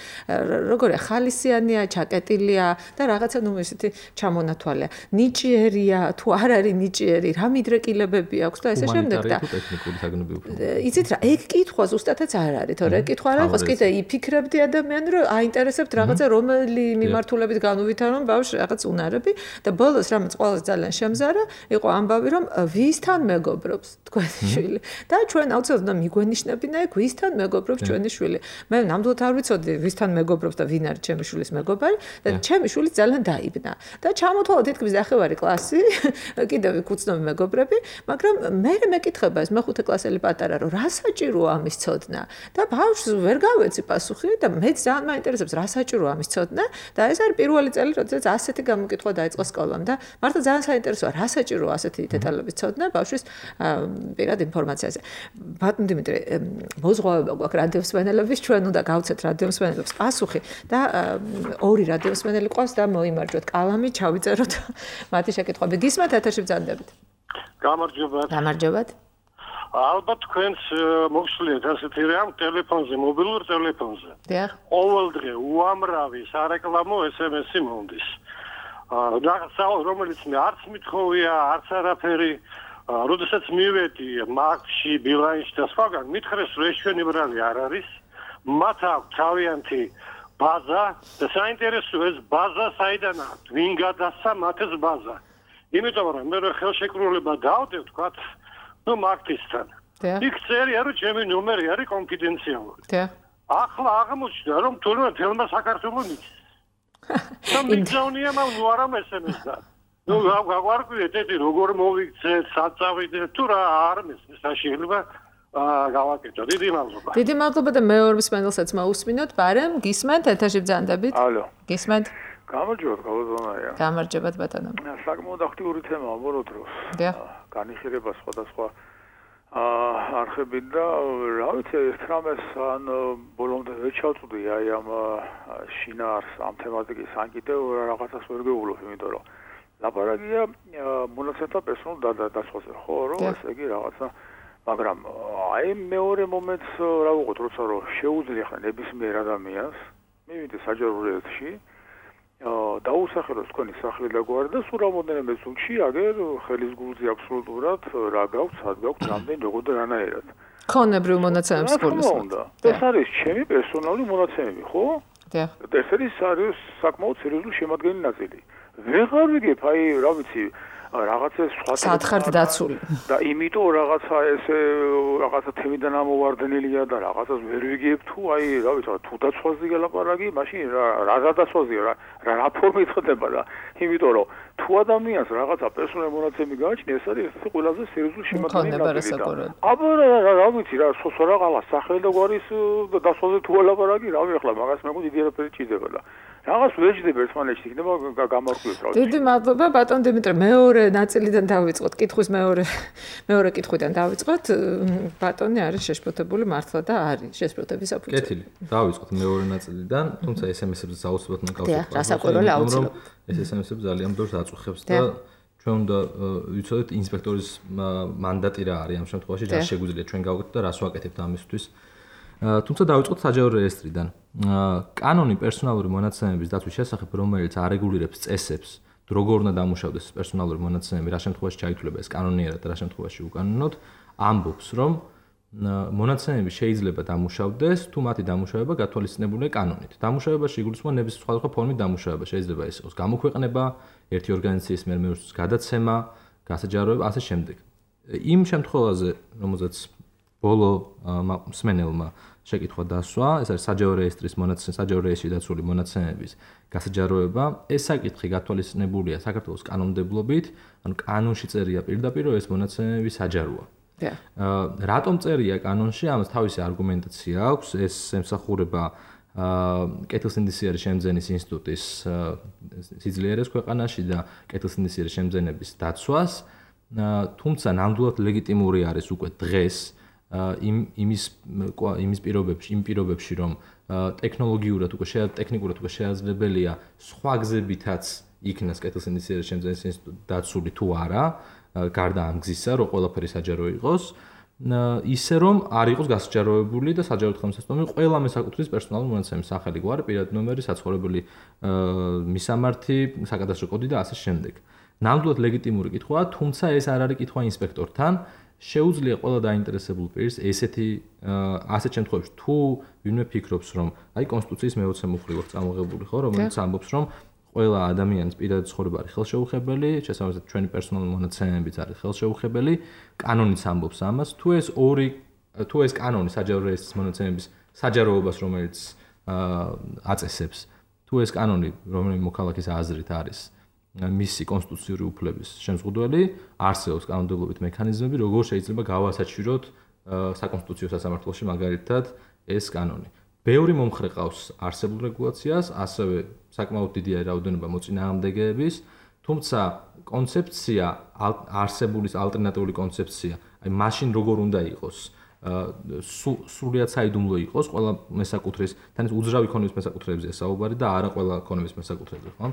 როგორია ხალისიანია, ჩაკეტილია და რაღაცა ნუ ისეთი ჩამონათვალია. ნიჭიერია, თუ არ არის ნიჭიერი, რა მიდრეკილებები აქვს და ესე შემდეგ და ტექნიკური საგნები უფრო. იცით რა, ეგ კითხვა ზუსტადაც არ არის, თორე ეგ კითხვა არ იყოს, კიდე იფიქრებდი ადამიანი, რომ აინტერესებთ რაღაცა რომელი მიმართულებით განუვითარონ ბავშვს რაღაც უნარები და ბოლოს რამაც ყველას ძალიან შემზარა, იყო ამბავი, რომ ვისთან მეგობრობს თქვენი შვილი და ჩვენ აუცილებლად მიგვენიშნებინა ეგ ვისთან მეგობრობს ჩვენი შვილი. მე ნამდვილად არ ვიცოდი ვისთან მეგობრობს და ვინ არის ჩემი შვილის მეგობარი და ჩემი შვილი ძალიან დაიბნა. და ჩამოთვალა თითქმის ნახევარი კლასი, კიდევ იქ უცნობი მეგობრები, მაგრამ მე მეკითხება ეს მეხუთე კლასელი პატარა, რომ რა საჭიროა ამის ცოდნა და ბავშვს ვერ გავეცი პასუხი და მე ძალიან მაინტერესებს რა საჭიროა ამის ცოდნა და ეს არის პირველი წელი, როდესაც ასეთი გამოკითხვა დაიწყო სკოლამ და მართლა ძალიან საინტერესოა რა საჭიროა ასეთი დეტალების ცოდნა ბავშვის პირად ინფორმაციაზე. ბატონ დიმიტრი, მოზღვავება გვაქვს რადიოსმენელების, ჩვენ უნდა გავცეთ რადიოსმენელებს პასუხი და ორი რადიოსმენელი ყავს და მოიმარჯვოთ კალამი, ჩავიწეროთ მათი შეკითხვები. გისმენთ ეთერში ბრძანდებით. გამარჯობათ. გამარჯობათ. ალბათ თქვენს მოგსვლიეთ ასეთი რამ ტელეფონზე, მობილურ ტელეფონზე. დიახ. ყოველდღე უამრავი სარეკლამო S M S-ი მომდის. რაღაცა რომელიც მე არც მithოვია, არც არაფერი როდესაც მივედი მაგში, ბილანსში და სხვაგან, მითხრეს, რომ ეს ჩვენი ბრალი არ არის. მათ აქვს თავიანთი ბაზა და საინტერესო ეს ბაზა საიდან აქვს? ვინ გადასცა მათ ეს ბაზა? იმიტომ რომ მე ხელშეკრულება დავდებ, თქვათ, ნუ მაგთისთან. იქ წერია, რომ ჩემი ნომერი არის კონფიდენციალური. ახლა აღმოჩნდა, რომ თუნდაც თელმა საქართველოს ნის. და მიგზავნია მაგ ნუ არა მესმესდა. ნუ გავარკვიეთ ეთი როგორ მოვიქცეთ, საწავიდეთ, თუ რა არ მესმის, შეიძლება გავაკეთო. დიდი მადლობა. დიდი მადლობა და მეორე მსმენელსაც მოусმინოთ, ბარემ გისმენთ ეთერში ბრძანდებით. ალო. გისმენთ. გამარჯობათ, გალოზონია. გამარჯობათ ბატონო. საკმაოდ აქტიური თემაა ბოლო დროს. დიახ. განიხილება სხვადასხვა აა არხებით და რა ვიცი, ერთ რამეს ან ბოლომდე ვერ ჩავწვდი აი ამ შინაარს, ამ თემატიკის ან კიდევ რაღაცას ვერ გეულობ, იმიტომ რომ ლაპარაკია მონაცემთა პერსონალურ დადასხვაზე, ხო, რომ ესე იგი რაღაცა, მაგრამ აი მეორე მომენტს რა ვუყოთ, როცა რომ შეუძლია ხა ნებისმიერ ადამიანს მივიდეს საჯარო რეესტრში, დაუსახელოს თქვენი სახელი და გვარი და სულ რამოდენიმე წუთში აგერ ხელის გულზე აბსოლუტურად რა გაქვთ, სად გაქვთ, რამდენი როგორ და რანაირად. ქონებრივ მონაცემებს გულისხმობთ. ეს არის ჩემი პერსონალური მონაცემები, ხო? დიახ. ეს არის საკმაოდ სერიოზული შემადგენელი ნაწილი. ვეღარ ვიგებ, აი, რა ვიცი, რაღაცა სხვა სათხართ დაცული. და იმიტომ რაღაცა ესე რაღაცა თემიდან ამოვარდნილია და რაღაცას ვერ ვიგებ თუ აი, რა ვიცი, თუ დაცვაზე გელაპარაკი, მაშინ რა რა დაცვაზეა, რა რა ფორმით ხდება და იმიტომ რომ თუ ადამიანს რაღაცა პერსონალური მონაცემი გააჩნია, ეს არის ეს ყველაზე სერიოზული შემადგენელი ნაწილი. აბა რა ვიცი, რა სოსო რაღაცა სახელი და გვარის დაცვაზე თუ ელაპარაკი, რავი ახლა მაგას მე მგონი დიდი არაფერი ჭირდება და რაღაც ვეჯდება ერთმანეთში იქნება გამარკვევს რა. დიდი მადლობა ბატონ დიმიტრი, მეორე ნაწილიდან დავიწყოთ, კითხვის მეორე მეორე კითხვიდან დავიწყოთ. ბატონი არის შეშფოთებული მართლა და არის შეშფოთების საფუძველი. კეთილი. დავიწყოთ მეორე ნაწილიდან, თუმცა ეს em es-ებს საუბრობთ მაგალითად. დიახ, რასაკვირველია აუცილებლად. ეს ეს em es-ებს ძალიან ბევრს აწუხებს და ჩვენ უნდა ვიცოდეთ ინსპექტორის მანდატი რა არის ამ შემთხვევაში, რა შეგვიძლია ჩვენ გავაკეთოთ და რას ვაკეთებთ ამისთვის. თუმცა დავიწყოთ საჯარო რეესტრიდან. კანონი პერსონალური მონაცემების დაცვის შესახებ, რომელიც არეგულირებს წესებს, როგორ უნდა დამუშავდეს პერსონალური მონაცემები, რა შემთხვევაში ჩაითვლება ეს კანონიერად და რა შემთხვევაში უკანონოდ, ამბობს, რომ მონაცემები შეიძლება დამუშავდეს, თუ მათი დამუშავება გათვალისწინებულია კანონით. დამუშავებაში იგულისხმება ნებისმიერ სხვადასხვა ფორმით დამუშავება, შეიძლება ეს იყოს გამოქვეყნება, ერთი ორგანიზაციის მიერ მეორეს გადაცემა, გასაჯაროება, ასე შემდეგ. იმ შემთხვევაზე, რომელზეც ბოლო მსმენელმა შეკითხვა დასვა, ეს არის საჯარო რეესტრის მონაცემები, საჯარო რეესტრში დაცული მონაცემების გასაჯაროება. ეს საკითხი გათვალისწინებულია საქართველოს კანონმდებლობით, ანუ კანონში წერია პირდაპირ, რომ ეს მონაცემები საჯაროა. რატომ წერია კანონში? ამას თავისი არგუმენტაცია აქვს, ეს ემსახურება კეთილსინდისიერის შემძენის ინსტიტუტის სიძლიერეს ქვეყანაში და კეთილსინდისიერის შემძენების დაცვას, თუმცა ნამდვილად ლეგიტიმური არის უკვე დღეს იმ იმის იმის პირობებში, იმ პირობებში, რომ ტექნოლოგიურად უკვე ტექნიკურად უკვე შეაძლებელია სხვა გზებითაც იქნას კეთილსინდისიერის შემძენის ინსტიტუტი დაცული თუ არა, გარდა ამ გზისა, რომ ყველაფერი საჯარო იყოს, ისე რომ არ იყოს გასაჯაროებული და საჯარო ხელმისაწვდომი ყველა მესაკუთრის პერსონალური მონაცემის სახელი, გვარი, პირადი ნომერი, საცხოვრებელი მისამართი, საკადასტრო კოდი და ასე შემდეგ. ნამდვილად ლეგიტიმური კითხვაა, თუმცა ეს არ არის კითხვა ინსპექტორთან. შეუძლია ყველა დაინტერესებულ პირს ესეთი ასეთ შემთხვევებში თუ ვინმე ფიქრობს რომ აი კონსტიტუციის მეოცე მუხლი აქვს წამოღებული ხო რომელიც ამბობს რომ ყველა ადამიანის პირადი ცხოვრება არის ხელშეუხებელი, შესაბამისად ჩვენი პერსონალური მონაცემებიც არის ხელშეუხებელი, კანონიც ამბობს ამას, თუ ეს ორი თუ ეს კანონი საჯარო რეესტრის მონაცემების საჯაროებას რომელიც აწესებს, თუ ეს კანონი რომელიც მოქალაქის აზრით არის მისი კონსტიტუციური უფლების შემზღუდველი, არსებობს კანონმდებლობით მექანიზმები, როგორ შეიძლება გავასაჩვიროთ საკონსტიტუციო სასამართლოში მაგალითად ეს კანონი. ბევრი მომხრე ყავს არსებულ რეგულაციას, ასევე საკმაოდ დიდია რაოდენობა მოწინააღმდეგეების, თუმცა კონცეფცია არსებულის ალტერნატიული კონცეფცია, აი მაშინ როგორ უნდა იყოს, სრულიად საიდუმლო იყოს ყველა მესაკუთრის, თან ეს უძრავი ქონების მესაკუთრეებზეა საუბარი და არა ყველა ქონების მესაკუთრეებზე, ხო?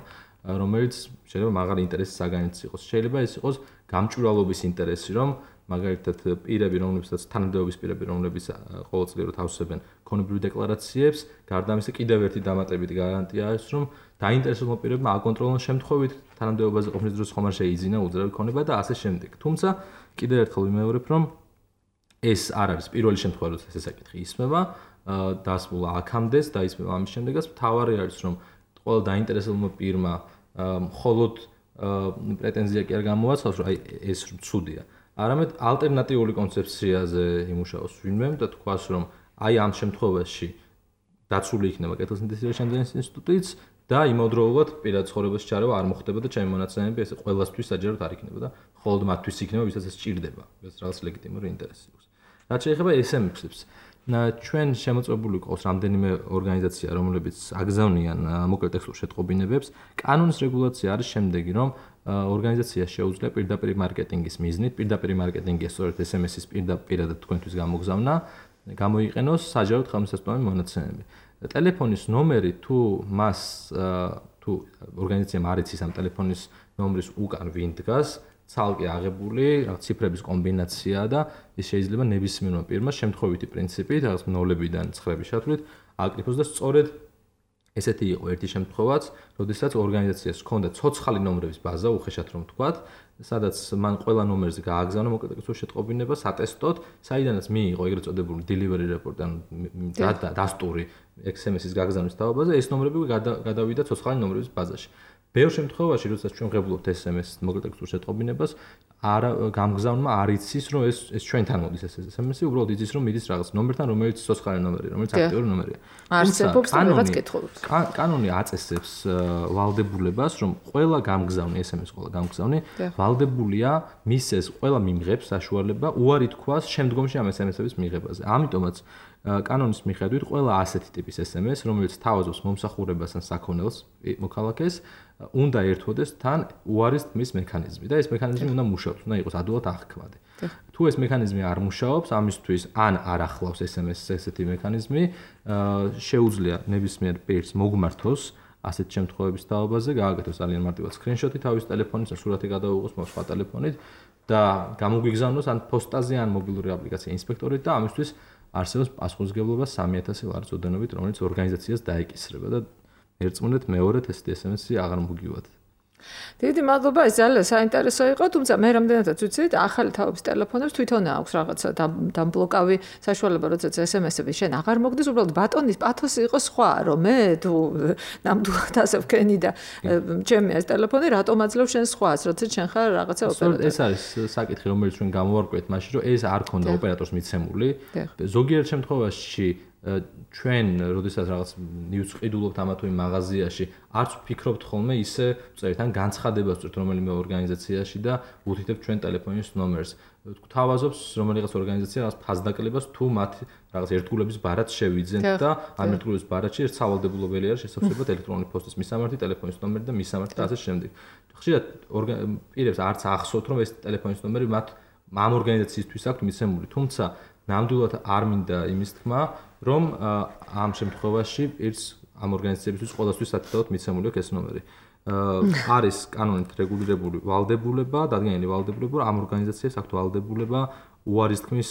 რომელიც შეიძლება მაღალი ინტერესის საგანიც იყოს. შეიძლება ეს იყოს გამჭვირვალობის ინტერესი, რომ მაგალითად პირები, რომლებსაც თანამდებობის პირები, რომლებიც ყოველწლიურად ავსებენ ქონებრივ დეკლარაციებს, გარდა ამისა კიდევ ერთი დამატებითი გარანტია არის, რომ დაინტერესებულ პირებმა აკონტროლონ შემთხვევით თანამდებობაზე ყოფნის დროს ხომ არ შეიძინა უძრავი ქონება და ასე შემდეგ. თუმცა კიდევ ერთხელ ვიმეორებ, რომ ეს არ არის პირველი შემთხვევა, როცა ეს საკითხი ისმება, დასმულა აქამდეც და ისმება ამის შემდეგაც, მთავარი არის, რომ ყველა დაინტერესებულმა პირმა მხოლოდ პრეტენზია კი არ გამოაცხადოს, რომ აი ეს ცუდია. არამედ ალტერნატიული კონცეფციაზე იმუშაოს ვინმე და თქვას, რომ აი ამ შემთხვევაში დაცული იქნება კეთილსინდისიერის შემძენის ინსტიტუტიც და იმავდროულად პირად ცხოვრებაში ჩარევა არ მოხდება და ჩემი მონაცემები ესე ყველასთვის საჯაროდ არ იქნება და მხოლოდ მათთვის იქნება, ვისაც ეს ჭირდება. ეს რაღაც ლეგიტიმური ინტერესი აქვს. რაც შეეხება ეს em es-ებს, ჩვენ შემოწმებული ყავს რამდენიმე ორგანიზაცია, რომლებიც აგზავნიან მოკლე ტექსტურ შეტყობინებებს. კანონის რეგულაცია არის შემდეგი, რომ ორგანიზაცია შეუძლია პირდაპირ მარკეტინგის მიზნით, პირდაპირ მარკეტინგი სწორედ ეს em es-ის პირდაპირად თქვენთვის გამოგზავნა, გამოიყენოს საჯაროდ ხელმისაწვდომი მონაცემები. ტელეფონის ნომერი თუ მას თუ ორგანიზაციამ არ იცის ამ ტელეფონის ნომრის უკან ვინ დგას, ცალკე აღებული რაღაც ციფრების კომბინაციაა და ის შეიძლება ნებისმიერმა პირმა შემთხვევითი პრინციპით რაღაც ნოლებიდან ცხრების ჩათვლით აკრიფოს და სწორედ ესეთი იყო ერთი შემთხვევაც, როდესაც ორგანიზაციას ჰქონდა ცოცხალი ნომრების ბაზა, უხეშად რომ ვთქვათ, სადაც მან ყველა ნომერზე გააგზავნა მოკლედ შეტყობინება სატესტოდ, საიდანაც მიიღო ეგრეთ წოდებული delivery report ან დასტური ექს ემ ეს-ის გაგზავნის თავობაზე, ეს ნომრები გადავიდა ცოცხალი ნომრების ბაზაში. ბევრ შემთხვევაში, როდესაც ჩვენ ვღებულობთ ეს ემ ეს მოკლედ შეტყობინებას, არ გამგზავნმა არ იცის, რომ ეს ეს ჩვენთან მოდის ეს ეს ემ ეს-ი, უბრალოდ იცის, რომ მიდის რაღაც ნომერთან, რომელიც ცოცხალი ნომერია, რომელიც აქტიური ნომერია. არსებობს რაღაც კითხულობს. კანონი აწესებს ვალდებულებას, რომ ყველა გამგზავნი ეს ემ ეს ყველა გამგზავნი ვალდებულია მისცეს ყველა მიმღებს საშუალება უარი თქვას შემდგომში ამ ეს ემ ეს-ების მიღებაზე. ამიტომაც კანონის მიხედვით ყველა ასეთი ტიპის ეს ემ ეს, რომელიც თავაზობს მომსახურებას ან საქონელს მოქალაქეს, უნდა ერთვოდეს თან უარის თმის მექანიზმი და ეს მექანიზმი უნდა მუშაობს, უნდა იყოს ადვილად აღქმადი. თუ ეს მექანიზმი არ მუშაობს, ამისთვის ან არ ახლავს ეს ემ ეს ესეთი მექანიზმი, შეუძლია ნებისმიერ პირს მოგმართოს ასეთ შემთხვევების თაობაზე, გააკეთოს ძალიან მარტივად სკრინშოტი თავის ტელეფონის და სურათი გადაუღოს სხვა ტელეფონით და გამოგვიგზავნოს ან პოსტაზე ან მობილური აპლიკაცია ინსპექტორით და ამისთვის არსებობს პასუხისმგებლობა სამი ათასი ლარის ოდენობით, რომელიც ორგანიზაციას დაეკისრება და ერწმუნეთ მეორედ ეს ეს ემ ეს-ი აღარ მოგივათ. დიდი მადლობა, ეს ძალიან საინტერესო იყო, თუმცა მე რამდენადაც ვიცით, ახალი თაობის ტელეფონებს თვითონ აქვს რაღაცა დამბლოკავი საშუალება, როდესაც ეს ემ ეს-ები შენ აღარ მოგდის, უბრალოდ ბატონის პათოსი იყო სხვა, რომ მე თუ ნამდვილად ასე ვქენი და ჩემი ეს ტელეფონი რატომ აძლევ შენ სხვას, როდესაც შენ ხარ რაღაცა ოპერატორი. ეს არის საკითხი, რომელიც ჩვენ გამოვარკვევთ მაშინ, რომ ეს არ ქონდა ოპერატორს მიცემული. ზოგიერთ შემთხვევაში ჩვენ როდესაც რაღაც ნიუს ყიდულობთ ამა თუ იმ მაღაზიაში, არც ვფიქრობთ ხოლმე ისე წერით ან განცხადებას წერთ რომელიმე ორგანიზაციაში და უთითებთ ჩვენ ტელეფონის ნომერს. გვთავაზობს რომელიღაც ორგანიზაცია რაღაც ფასდაკლებას თუ მათ რაღაც ერთგულების ბარათს შევიძენთ და ამ ერთგულების ბარათში ერთ სავალდებულობელი არის შესაძლებლად ელექტრონული პოსტის მისამართი, ტელეფონის ნომერი და მისამართი და ასე შემდეგ. ხშირად პირებს არც ახსოვთ რომ ეს ტელეფონის ნომერი მათ ამ ორგანიზაციისთვის აქვს მიცემული, თუმცა ნამდვილად არ მინდა იმის თქმა, რომ ამ შემთხვევაში პირს ამ ორგანიზაციებისთვის ყოველთვის სათითაოდ მიცემული აქვს ეს ნომერი. არის კანონით რეგულირებული ვალდებულება, დადგენილი ვალდებულება, ამ ორგანიზაციებს აქვს ვალდებულება უარის თქმის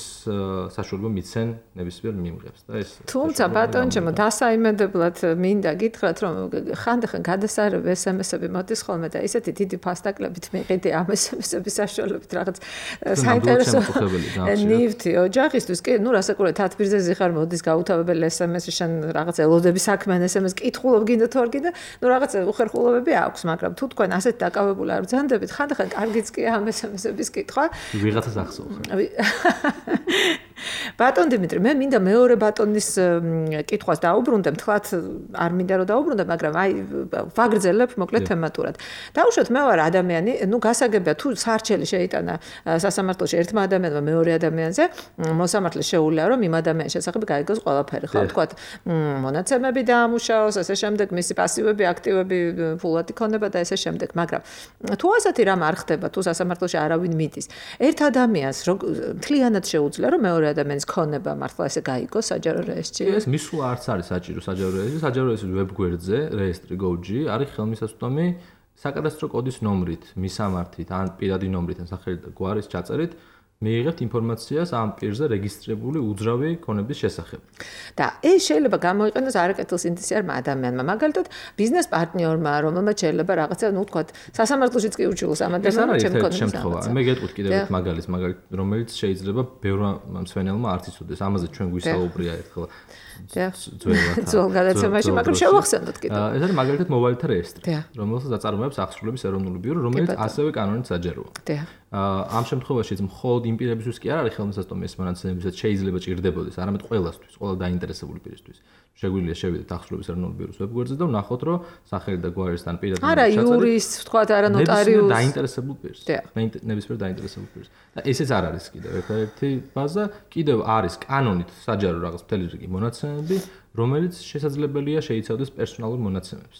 საშუალება მიცენ ნებისმიერ მიმღებს და ეს თუმცა ბატონჩემო დასაიმედებლად მინდა გითხრათ რომ ხანდახან გადასარევ ეს ემ ეს-ები მოდის ხოლმე და ისეთი დიდი ფასდაკლებით მიყიდი ამ ეს ემ ეს-ების საშუალებით რაღაც საინტერესო ნივთი ოჯახისთვის კი ნუ რასაკურველი თათბირზე ზიხარ მოდის გაუთავებელი ეს ემ ეს-ი შენ რაღაც ელოდები საქმიან ეს ემ ეს კითხულობ გინდა თუ არ გინდა ნუ რაღაც უხერხულობები აქვს მაგრამ თუ თქვენ ასეთ დაკავებული არ ბრძანდებით ხანდახან კარგიც კი ამ ეს ემ ეს-ების კითხვა ვიღაცას ახსოვს ბატონ დიმიტრი, მე მინდა მეორე ბატონის კითხვას დაუბრუნდე, მთლად არ მინდა რომ დაუბრუნდე, მაგრამ აი ვაგრძელებ მოკლედ თემატურად. დაუშვათ მე ვარ ადამიანი, ნუ გასაგებია თუ სარჩელი შეიტანა სასამართლოში ერთმა ადამიანმა მეორე ადამიანზე, მოსამართლე შეუძლია რომ იმ ადამიანის შესახებ გაიგოს ყველაფერი, ხო, თქვათ, მონაცემები დაამუშავოს, ასე შემდეგ, მისი პასივები, აქტივები, ფულად იქონება და ასე შემდეგ, მაგრამ თუ ასეთი რამ არ ხდება, თუ სასამართლოში არავინ მიდის, ერთ ადამიანს მთლიანად შეუძლია რომ მეორე ადამიანის ქონება მართლა ესე გაიგოს საჯარო რეესტრში. ეს მისვლა არც არის საჭირო საჯარო რეესტრში. საჯარო რეესტრის ვებგვერდზე რეესტრი გო ჯი არის ხელმისაწვდომი საკადასტრო კოდის ნომრით, მისამართით, ან პირადი ნომრით, ან სახელით და გვარის ჩაწერით მიიღებთ ინფორმაციას ამ პირზე რეგისტრირებული უძრავი ქონების შესახებ. და ეს შეიძლება გამოიყენოს არაკეთილ სინდისიარმა ადამიანმა, მაგალითად ბიზნეს პარტნიორმა, რომელმაც შეიძლება რაღაცა, ნუ თქვათ, სასამართლოშიც კი ურჩიულს ამ ადამიანმა ჩემ ქონებას. შემთხვევა. მე გეტყვით კიდევ ერთ მაგალითს, მაგალითად, რომელიც შეიძლება ბევრმა მსვენელმა არც იცოდეს. ამაზე ჩვენ გვისაუბრია ერთხელ. ძველად. ძველ გადაცემაში, მაგრამ შევახსენოთ კიდევ. ეს არის მაგალითად მობილთა რეესტრი, რომელსაც აწარმოებს აღსრულების ეროვნული ბიურო, რომელიც ასევე კანონით საჯაროა. ამ შემთხვევაშიც მხოლოდ იმ პირებისთვის კი არ არის ხელმისაწვდომი ეს მონაცემებიც შეიძლება ჭირდებოდეს, არამედ ყველასთვის, ყველა დაინტერესებული პირისთვის. შეგვიძლია შევიდეთ აღსრულების ეროვნული ბიუროს ვებგვერდზე და ვნახოთ, რომ სახელი და გვარისთან პირად არა იურისტს, ვთქვათ, არა ნოტარიუსს, დაინტერესებულ პირს. ნებისმიერ დაინტერესებულ პირს. და ესეც არ არის კიდევ ერთადერთი ბაზა, კიდევ არის კანონით საჯარო რაღაც მთელი რიგი მონაცემები, რომელიც შესაძლებელია შეიცავდეს პერსონალურ მონაცემებს.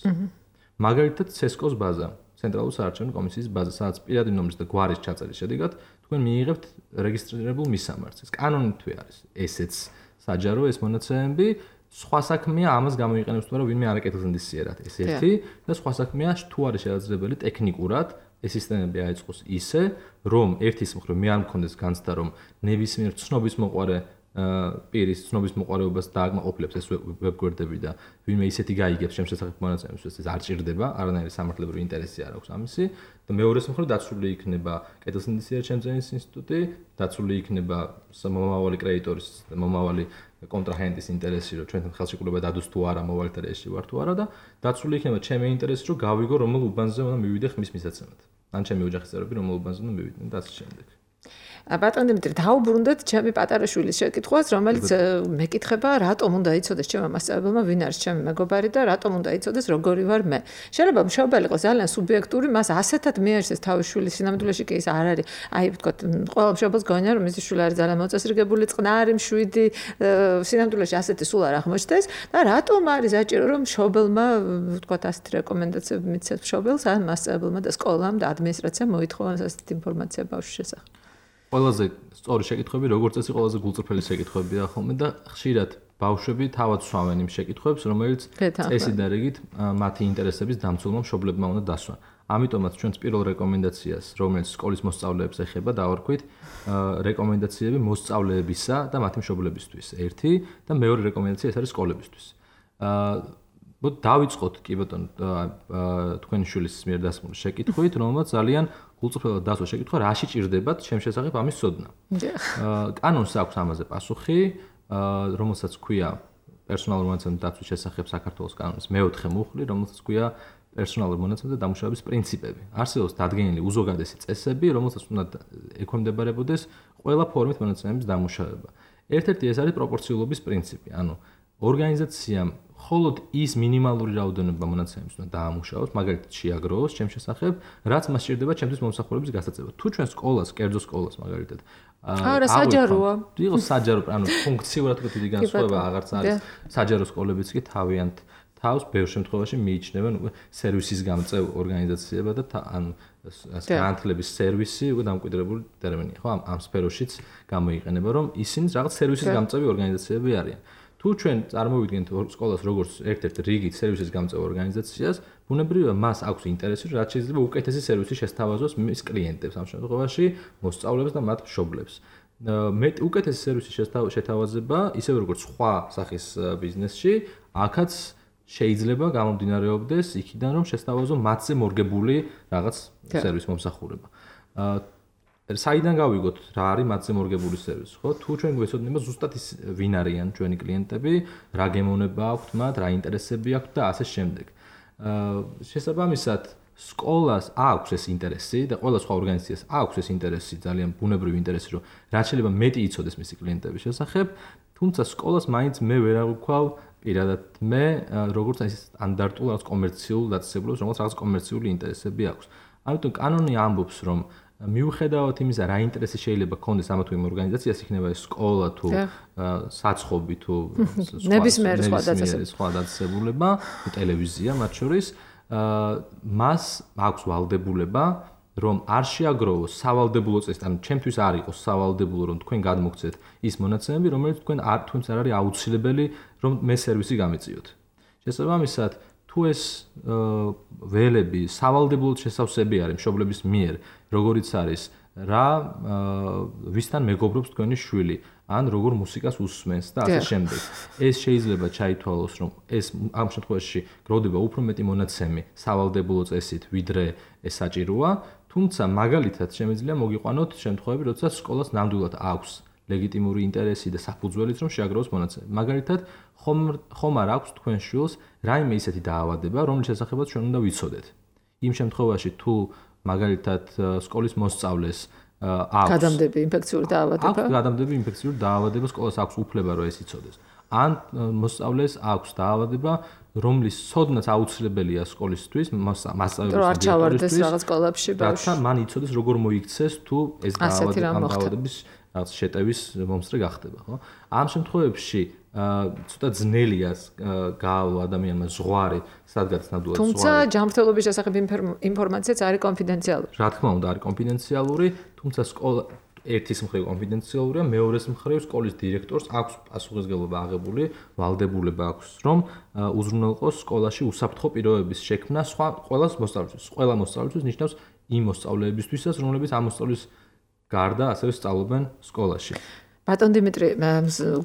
მაგალითად, ცესკოს ბაზა, ცენტრალური საარჩევნო კომისიის ბაზა, სადაც პირადი ნომრის და გვარის ჩაწერის შედეგად თქვენ მიიღებთ რეგისტრირებულ მისამართს. კანონითვე არის ესეც საჯარო ეს მონაცემები. სხვა საქმეა ამას გამოიყენებს თუ არა ვინმე არაკეთილზნდისიერად. ეს ერთი და სხვა საქმეა თუ არის შესაძლებელი ტექნიკურად ეს სისტემები აეწყოს ისე, რომ ერთის მხრივ მე არ მქონდეს განცდა, რომ ნებისმიერ ცნობის მოყარე პირის ცნობის მოყარეობას დააკმაყოფილებს ეს ვებგვერდები და ვინმე ისეთი გაიგებს ჩემს შესახებ მონაცემებს, ეს არ ჭირდება, არანაირი სამართლებრივი ინტერესი არ აქვს ამისი და მეორეს მხრივ დაცული იქნება კეთილსინდისიერად შემძენის ინსტიტუტი, დაცული იქნება მომავალი კრედიტორის და მომავალი კონტრაჰენტის ინტერესი, რომ ჩვენთან ხელშეკრულება დადოს თუ არა, მოვალეთა რეესში ვარ თუ არა და დაცული იქნება ჩემი ინტერესი, რომ გავიგო რომელ უბანზე უნდა მივიდე ხმის მისაცემად. ან ჩემი ოჯახის წევრები რომელ უბანზე უნდა მივიდნენ და ასე შემდეგ. ბატონ დიმიტრი, დავუბრუნდეთ ჩემი პატარა შვილის შეკითხვას, რომელიც მეკითხება, რატომ უნდა იცოდეს ჩემმა მასწავლებელმა, ვინ არის ჩემი მეგობარი და რატომ უნდა იცოდეს, როგორი ვარ მე. შეიძლება მშობელი იყოს ძალიან სუბიექტური, მას ასეთად მიაჩნდეს თავის შვილის სინამდვილეში კი ის არ არის. აი, ვთქვათ, ყველა მშობელს გონია, რომ მისი შვილი არის ძალიან მოწესრიგებული, წყნარი, მშვიდი, სინამდვილეში ასეთი სულ არ აღმოჩნდეს და რატომ არის საჭირო, რომ მშობელმა, ვთქვათ, ასეთი რეკომენდაციები მიცეს მშობელს, ან მასწავლებელმა და სკოლამ და ადმინისტრაციამ მოითხოვოს ასეთი ინფორმაცია ბავშვის შესახებ. ყველაზე სწორი შეკითხვები, როგორც წესი, ყველაზე გულწრფელი შეკითხვებია ხოლმე და ხშირად ბავშვები თავად სვამენ იმ შეკითხვებს, რომელიც წესით და რიგით მათი ინტერესების დამცველმა მშობლებმა უნდა დასვან. ამიტომაც ჩვენს პირველ რეკომენდაციას, რომელიც სკოლის მოსწავლეებს ეხება, დავარქვით რეკომენდაციები მოსწავლეებისა და მათი მშობლებისთვის. ერთი და მეორე რეკომენდაცია ეს არის სკოლებისთვის. აა დავიწყოთ კი ბატონო თქვენი შვილის მიერ დასმული შეკითხვით, რომელმაც ძალიან გულწრფელად დასვა შეკითხვა, რაში ჭირდებათ ჩემს შესახებ ამის ცოდნა. აა კანონს აქვს ამაზე პასუხი, აა რომელსაც ქვია პერსონალური მონაცემების დაცვის შესახებ საქართველოს კანონის მეოთხე მუხლი, რომელსაც ქვია პერსონალური მონაცემების დამუშავების პრინციპები. არსებობს დადგენილი უზოგადესი წესები, რომელსაც უნდა ექვემდებარებოდეს ყველა ფორმით მონაცემების დამუშავება. ერთ-ერთი ეს არის პროპორციულობის პრინციპი, ანუ ორგანიზაციამ მხოლოდ ის მინიმალური რაოდენობა მონაცემების უნდა დაამუშავოს, მაგალითად შეაგროვოს ჩემს შესახებ, რაც მას სჭირდება ჩემთვის მომსახურების გასაწევად. თუ ჩვენ სკოლას, კერძო სკოლას მაგალითად, არა საჯაროა. იყო საჯარო, ანუ ფუნქციურად თუ დიდი განსხვავება აღარც არის. საჯარო სკოლებიც კი თავიანთ თავს ბევრ შემთხვევაში მიიჩნევენ უკვე სერვისის გამწევ ორგანიზაციებად და ანუ განათლების სერვისი უკვე დამკვიდრებული ტერმინია, ხო? ამ ამ სფეროშიც გამოიყენება, რომ ისინი რაღაც სერვისის გამწევი ორგანიზაციები არიან. თუ ჩვენ წარმოვიდგენთ სკოლას როგორც ერთ-ერთ რიგით სერვისის გამწევ ორგანიზაციას, ბუნებრივია მას აქვს ინტერესი, რაც შეიძლება უკეთესი სერვისი შესთავაზოს მის კლიენტებს, ამ შემთხვევაში მოსწავლეებს და მათ მშობლებს. მეტ უკეთესი სერვისი შეთავაზება, ისევე როგორც სხვა სახის ბიზნესში, აქაც შეიძლება გამომდინარეობდეს იქიდან, რომ შესთავაზო მათზე მორგებული რაღაც სერვისის მომსახურება. საიდან გავიგოთ რა არის მათზე მორგებული სერვისი, ხო? თუ ჩვენ გვეცოდინება ზუსტად ის ვინ არიან ჩვენი კლიენტები, რა გემოვნება აქვთ მათ, რა ინტერესები აქვთ და ასე შემდეგ. აა შესაბამისად, სკოლას აქვს ეს ინტერესი და ყველა სხვა ორგანიზაციას აქვს ეს ინტერესი, ძალიან ბუნებრივი ინტერესი, რომ რაც შეიძლება მეტი იცოდეს მისი კლიენტების შესახებ, თუმცა სკოლას მაინც მე ვერ აღვქვავ პირადად მე, როგორც ის სტანდარტულ რაღაც კომერციულ დაწესებულებას, რომელიც რაღაც კომერციული ინტერესები აქვს. ამიტომ კანონი ამბობს, რომ მიუხედავად იმისა, რა ინტერესი შეიძლება ქონდეს ამა თუ იმ ორგანიზაციას, იქნება ეს სკოლა თუ საცხობი თუ ნებისმიერ სხვა დაწესებულება, ტელევიზია მათ შორის, მას აქვს ვალდებულება, რომ არ შეაგროვოს სავალდებულო წესით, ანუ ჩემთვის არ იყოს სავალდებულო, რომ თქვენ გადმოგცეთ ის მონაცემები, რომელიც თქვენ არ თქვენს არ არის აუცილებელი, რომ მე სერვისი გამეწიოთ. შესაბამისად, თუ ეს ველები სავალდებულოდ შესავსები არის მშობლების მიერ, როგორიც არის რა ვისთან მეგობრობს თქვენი შვილი, ან როგორ მუსიკას უსმენს და ასე შემდეგ. ეს შეიძლება ჩაითვალოს, რომ ეს ამ შემთხვევაში გროვდება უფრო მეტი მონაცემი სავალდებულო წესით, ვიდრე ეს საჭიროა, თუმცა მაგალითად შემიძლია მოგიყვანოთ შემთხვევები, როდესაც სკოლას ნამდვილად აქვს ლეგიტიმური ინტერესი და საფუძველიც რომ შეაგროვოს მონაცემები. მაგალითად, ხომ ხომ არ აქვს თქვენ შვილს რაიმე ისეთი დაავადება, რომლის შესახებაც ჩვენ უნდა ვიცოდეთ. იმ შემთხვევაში თუ მაგალითად სკოლის მოსწავლეს აქვს გადამდები ინფექციური დაავადება, აქვს გადამდები ინფექციური დაავადება, სკოლას აქვს უფლება რომ ეს იცოდეს. ან მოსწავლეს აქვს დაავადება, რომლის ცოდნაც აუცილებელია სკოლისთვის, მასწავლებლის დირექტორისთვის, რაღაც სკოლებში ბავშვი. რათა მან იცოდეს როგორ მოიქცეს თუ ეს დაავადების რაღაც შეტევის მომსწრე გახდება, ხო? ამ შემთხვევებში ცოტა ძნელია გაავალო ადამიანმა ზღვარი, სადღაც ნამდვილად ზღვარი. თუმცა ჯანმრთელობის შესახებ ინფორმაციაც არის კონფიდენციალური. რა თქმა უნდა, არის კონფიდენციალური, თუმცა სკოლა ერთის მხრივ კონფიდენციალურია, მეორეს მხრივ სკოლის დირექტორს აქვს პასუხისმგებლობა აღებული, ვალდებულება აქვს, რომ უზრუნველყოს სკოლაში უსაფრთხო პირობების შექმნა სხვა ყველა მოსწავლისთვის. ყველა მოსწავლისთვის ნიშნავს იმ მოსწავლეებისთვისაც, რომლებიც ამ მოსწავლის გარდა ასევე სწავლობენ სკოლაში. ბატონ დიმიტრი,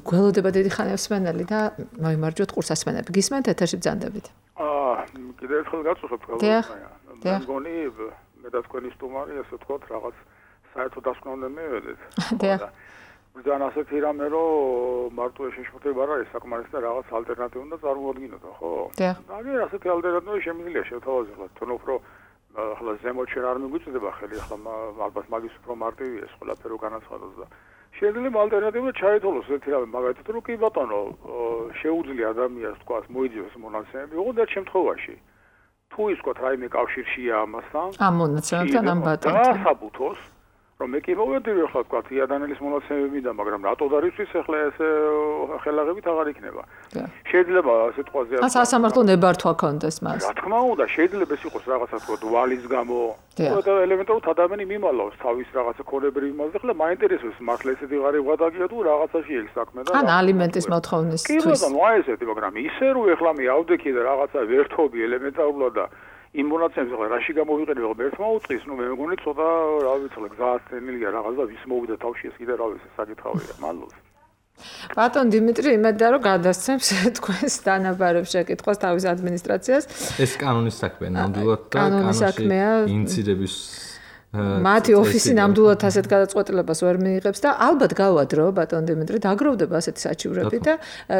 გველოდება დიდი ხანია მსმენელი და მოიმარჯვოთ ყურსასმენები. გისმენთ ეთერში ბრძანდებით. აა, კიდევ ერთხელ გაწუხებთ გველოდებაა. მე მგონი მე და თქვენი სტუმარი ასე ვთქვათ, რაღაც საერთო დასკვნა უნდა მივედეთ. დიახ. ბრძანა ასეთი რამე, რომ მარტო შეშფოთება რა ის საკმარისი და რაღაც ალტერნატივა უნდა წარმოადგინოთ, ხო? დიახ. აი, ასეთი ალტერნატივა შემიძლია შევთავაზოთ, თუნდაც უფრო ახლა ზემოთ შენ არ მიგვიწევდება ხელი, ახლა ალბათ მაგის უფრო მარტივია ეს ყველაფერი განაცხადოს და შეიძლება ალტერნატივა ჩაითვალოს ერთი რამე, მაგალითად რომ კი ბატონო, შეუძლია ადამიანს თქვა მოიძიოს მონაცემები, ოღონდ ერთ შემთხვევაში თუ ის თქვა რაიმე კავშირშია ამასთან, ამ მონაცემებთან ამ ბატონთან. და საბუთოს რომ მე კი მოვედივი ახლა თქვა იადანელის მონაცემები და მაგრამ რატო დარიცხვის ახლა ეს ხელაღებით აღარ იქნება. შეიძლება ასე თქვაზე ას სასამართლო ნებართვა კონდეს მას. რა თქმა უნდა, შეიძლება ეს იყოს რაღაცა თქვა ვალის გამო. და ელემენტარულად ადამიანი მიმალავს თავის რაღაცა ქონებრივ იმას და ახლა მაინტერესებს მართლა ესეთი ღარიბ გადაგია თუ რაღაცაში ეს საქმე და ან ალიმენტის მოთხოვნისთვის. კი ბატონო, აი ესეთი, მაგრამ ისე რომ ახლა მე ავდექი და რაღაცა ვერთობი ელემენტარულად და იმ მონაცემებს ახლა რაში გამოვიყენებ, ახლა ერთმა უწყის, ნუ მე მგონი ცოტა რა ვიცი, გზას თენილია რაღაც და ვის მოვიდა თავში ეს კიდე რა ვიცი, საკითხავია, მადლობა. ბატონ დიმიტრი, იმედია რომ გადასცემს თქვენს დანაბარებს შეკითხვას თავის ადმინისტრაციას. ეს კანონის საქმეა, ნამდვილად და კანონში ინციდების მათი ოფისი ნამდვილად ასეთ გადაწყვეტილებას ვერ მიიღებს და ალბათ გავა დრო ბატონ დიმიტრი დაგროვდება ასეთი საჩივრები და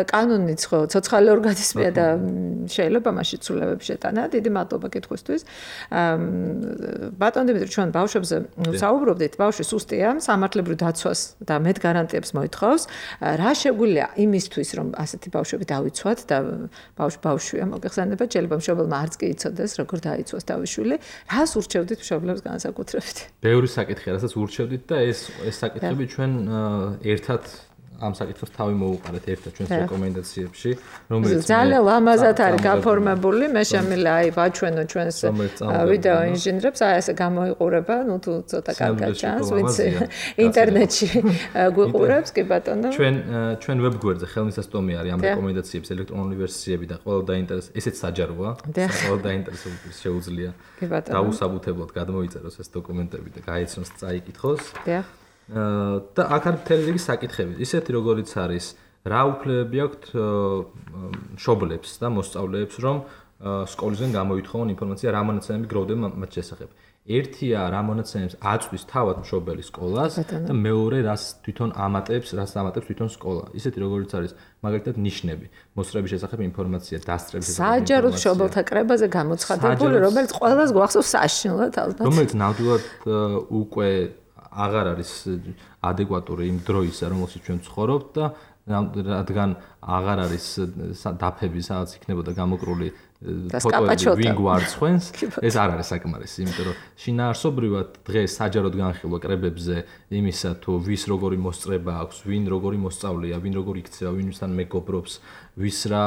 კანონიც ხო ცოცხალი ორგანიზმია და შეიძლება მასში ცვლილებები შეტანა. დიდი მადლობა კითხვისთვის. ბატონ დიმიტრი, ჩვენ ბავშვებზე საუბრობდით, ბავშვი სუსტია, სამართლებრივ დაცვას და მეტ გარანტიებს მოითხოვს. რა შეგვიძლია იმისთვის, რომ ასეთი ბავშვები დავიცვათ და ბავშვი ბავშვია, მოგეხსენება, შეიძლება მშობელმა არც კი იცოდეს, როგორ დაიცვას თავის შვილი. რას ურჩევდით მშობლებს განსაკუთრებით? ბევრი საკითხია, რასაც ურჩევდით და ეს ეს საკითხები ჩვენ ერთად ამ საკითხებს თავი მოუყარეთ ერთად ჩვენს რეკომენდაციებში, რომელიც ძალიან ლამაზად არის გაფორმებული, მე შემიძლია აი ვაჩვენო ჩვენს ვიდეო ინჟინერებს, აი ესე გამოიყურება, ну თუ ცოტა კარგად ჩანს, ვიცი ინტერნეტში გვიყურებს, კი ბატონო. ჩვენ ჩვენ ვებგვერდზე ხელმისაწვდომი არის ამ რეკომენდაციების ელექტრონული ვერსიები და ყველა დაინტერესებს, ესეც საჯაროა, ყველა დაინტერესებულს შეუძლია დაუსაბუთებლად გადმოიწეროს ეს დოკუმენტები და გაეცნოს, წაიკითხოს. დიახ. და აქ არის მთელი რიგი საკითხები. ისეთი როგორიც არის, რა უფლებები აქვთ მშობლებს და მოსწავლეებს, რომ სკოლისგან გამოითხოვონ ინფორმაცია, რა მონაცემები გროვდება მათ შესახებ. ერთია რა მონაცემებს აწვდის თავად მშობელი სკოლას და მეორე რას თვითონ ამატებს, რას ამატებს თვითონ სკოლა. ისეთი როგორიც არის, მაგალითად ნიშნები, მოსწრების შესახებ ინფორმაცია, დასწრების შესახებ ინფორმაცია. საჯაროდ მშობელთა კრებაზე გამოცხადებული, რომელიც ყველას გვახსოვს საშინლად ალბათ. რომელიც ნამდვილად უკვე აღარ არის ადეკვატური იმ დროისა, რომელშიც ჩვენ ვცხოვრობთ და რადგან აღარ არის დაფები, სადაც იქნებოდა გამოკრული ფოტოები ვინ გვარცხვენს, ეს არ არის საკმარისი, იმიტომ რომ შინაარსობრივად დღეს საჯაროდ განხილვა კრებებზე იმისა თუ ვის როგორი მოსწრება აქვს, ვინ როგორი მოსწავლეა, ვინ როგორი იქცევა, ვინ ვისთან მეგობრობს, ვის რა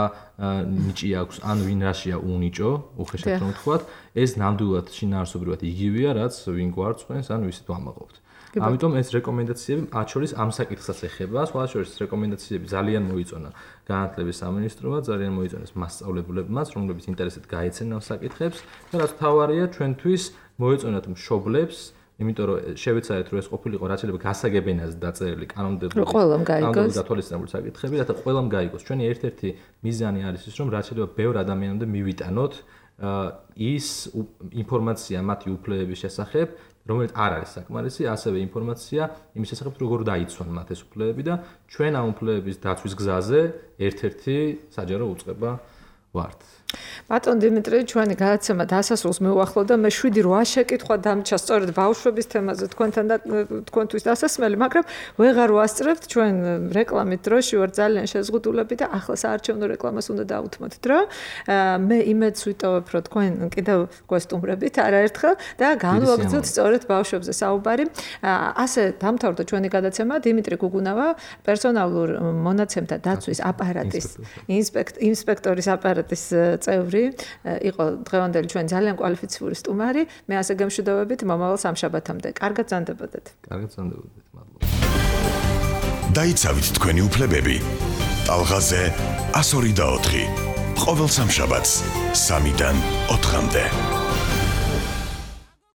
ნიჭი აქვს, ან ვინ რაშია უნიჭო, უხეშად რომ ვთქვათ, ეს ნამდვილად შინაარსობრივად იგივეა, რაც ვინ გვარცხვენს, ან ვისით ვამაყობთ. ამიტომ ეს რეკომენდაციები მათ შორის ამ საკითხსაც ეხება, სხვა შორის რეკომენდაციები ძალიან მოიწონა განათლების სამინისტრომა, ძალიან მოიწონეს მასწავლებლებმაც, რომლებიც ინტერესით გაეცენენ ამ საკითხებს და რაც თავარია ჩვენთვის მოეწონათ მშობლებს, იმიტომ რომ შევეცადეთ რომ ეს ყოფილიყო რაც შეიძლება გასაგებენაზე დაწერილი კანონმდებლობის კანონმდებლობის გათვალისწინებული საკითხები, რათა ყველამ გაიგოს. ჩვენი ერთ-ერთი მიზანი არის ის, რომ რაც შეიძლება ბევრ ადამიანამდე მივიტანოთ ის ინფორმაცია მათი უფლებების შესახებ, რომელიც არ არის საკმარისი, ასევე ინფორმაცია იმის შესახებ, როგორ დაიცვან მათ ეს უფლებები და ჩვენ ამ უფლებების დაცვის გზაზე ერთ-ერთი საჯარო უწყება ვართ. ბატონ დიმიტრი, ჩვენი გადაცემა დასასრულს მივუახლოვ და მე შვიდი რვა შეკითხვა დამჭა სწორედ ბავშვების თემაზე თქვენთან და თქვენთვის დასასმელი, მაგრამ ვეღარ ვასწრებთ, ჩვენ რეკლამით დროში ვარ ძალიან შეზღუდულები და ახლა საარჩევნო რეკლამას უნდა დავუთმოთ დრო. მე იმედს ვიტოვებ, რომ თქვენ კიდევ გვესტუმრებით არაერთხელ და განვაგრძოთ სწორედ ბავშვებზე საუბარი. ასე დამთავრდა ჩვენი გადაცემა. დიმიტრი გუგუნავა, პერსონალურ მონაცემთა დაცვის აპარატის ინსპექტორის აპარატის წევრი იყო დღევანდელი ჩვენ ძალიან კვალიფიციური სტუმარი. მე ასე გემშვიდობებით მომავალ სამშაბათამდე. კარგად ზანდებოდეთ. კარგად ზანდებოდეთ. დაიცავით თქვენი უფლებები. ტალღაზე one oh two. ყოველ სამშაბათს სამიდან ოთხამდე.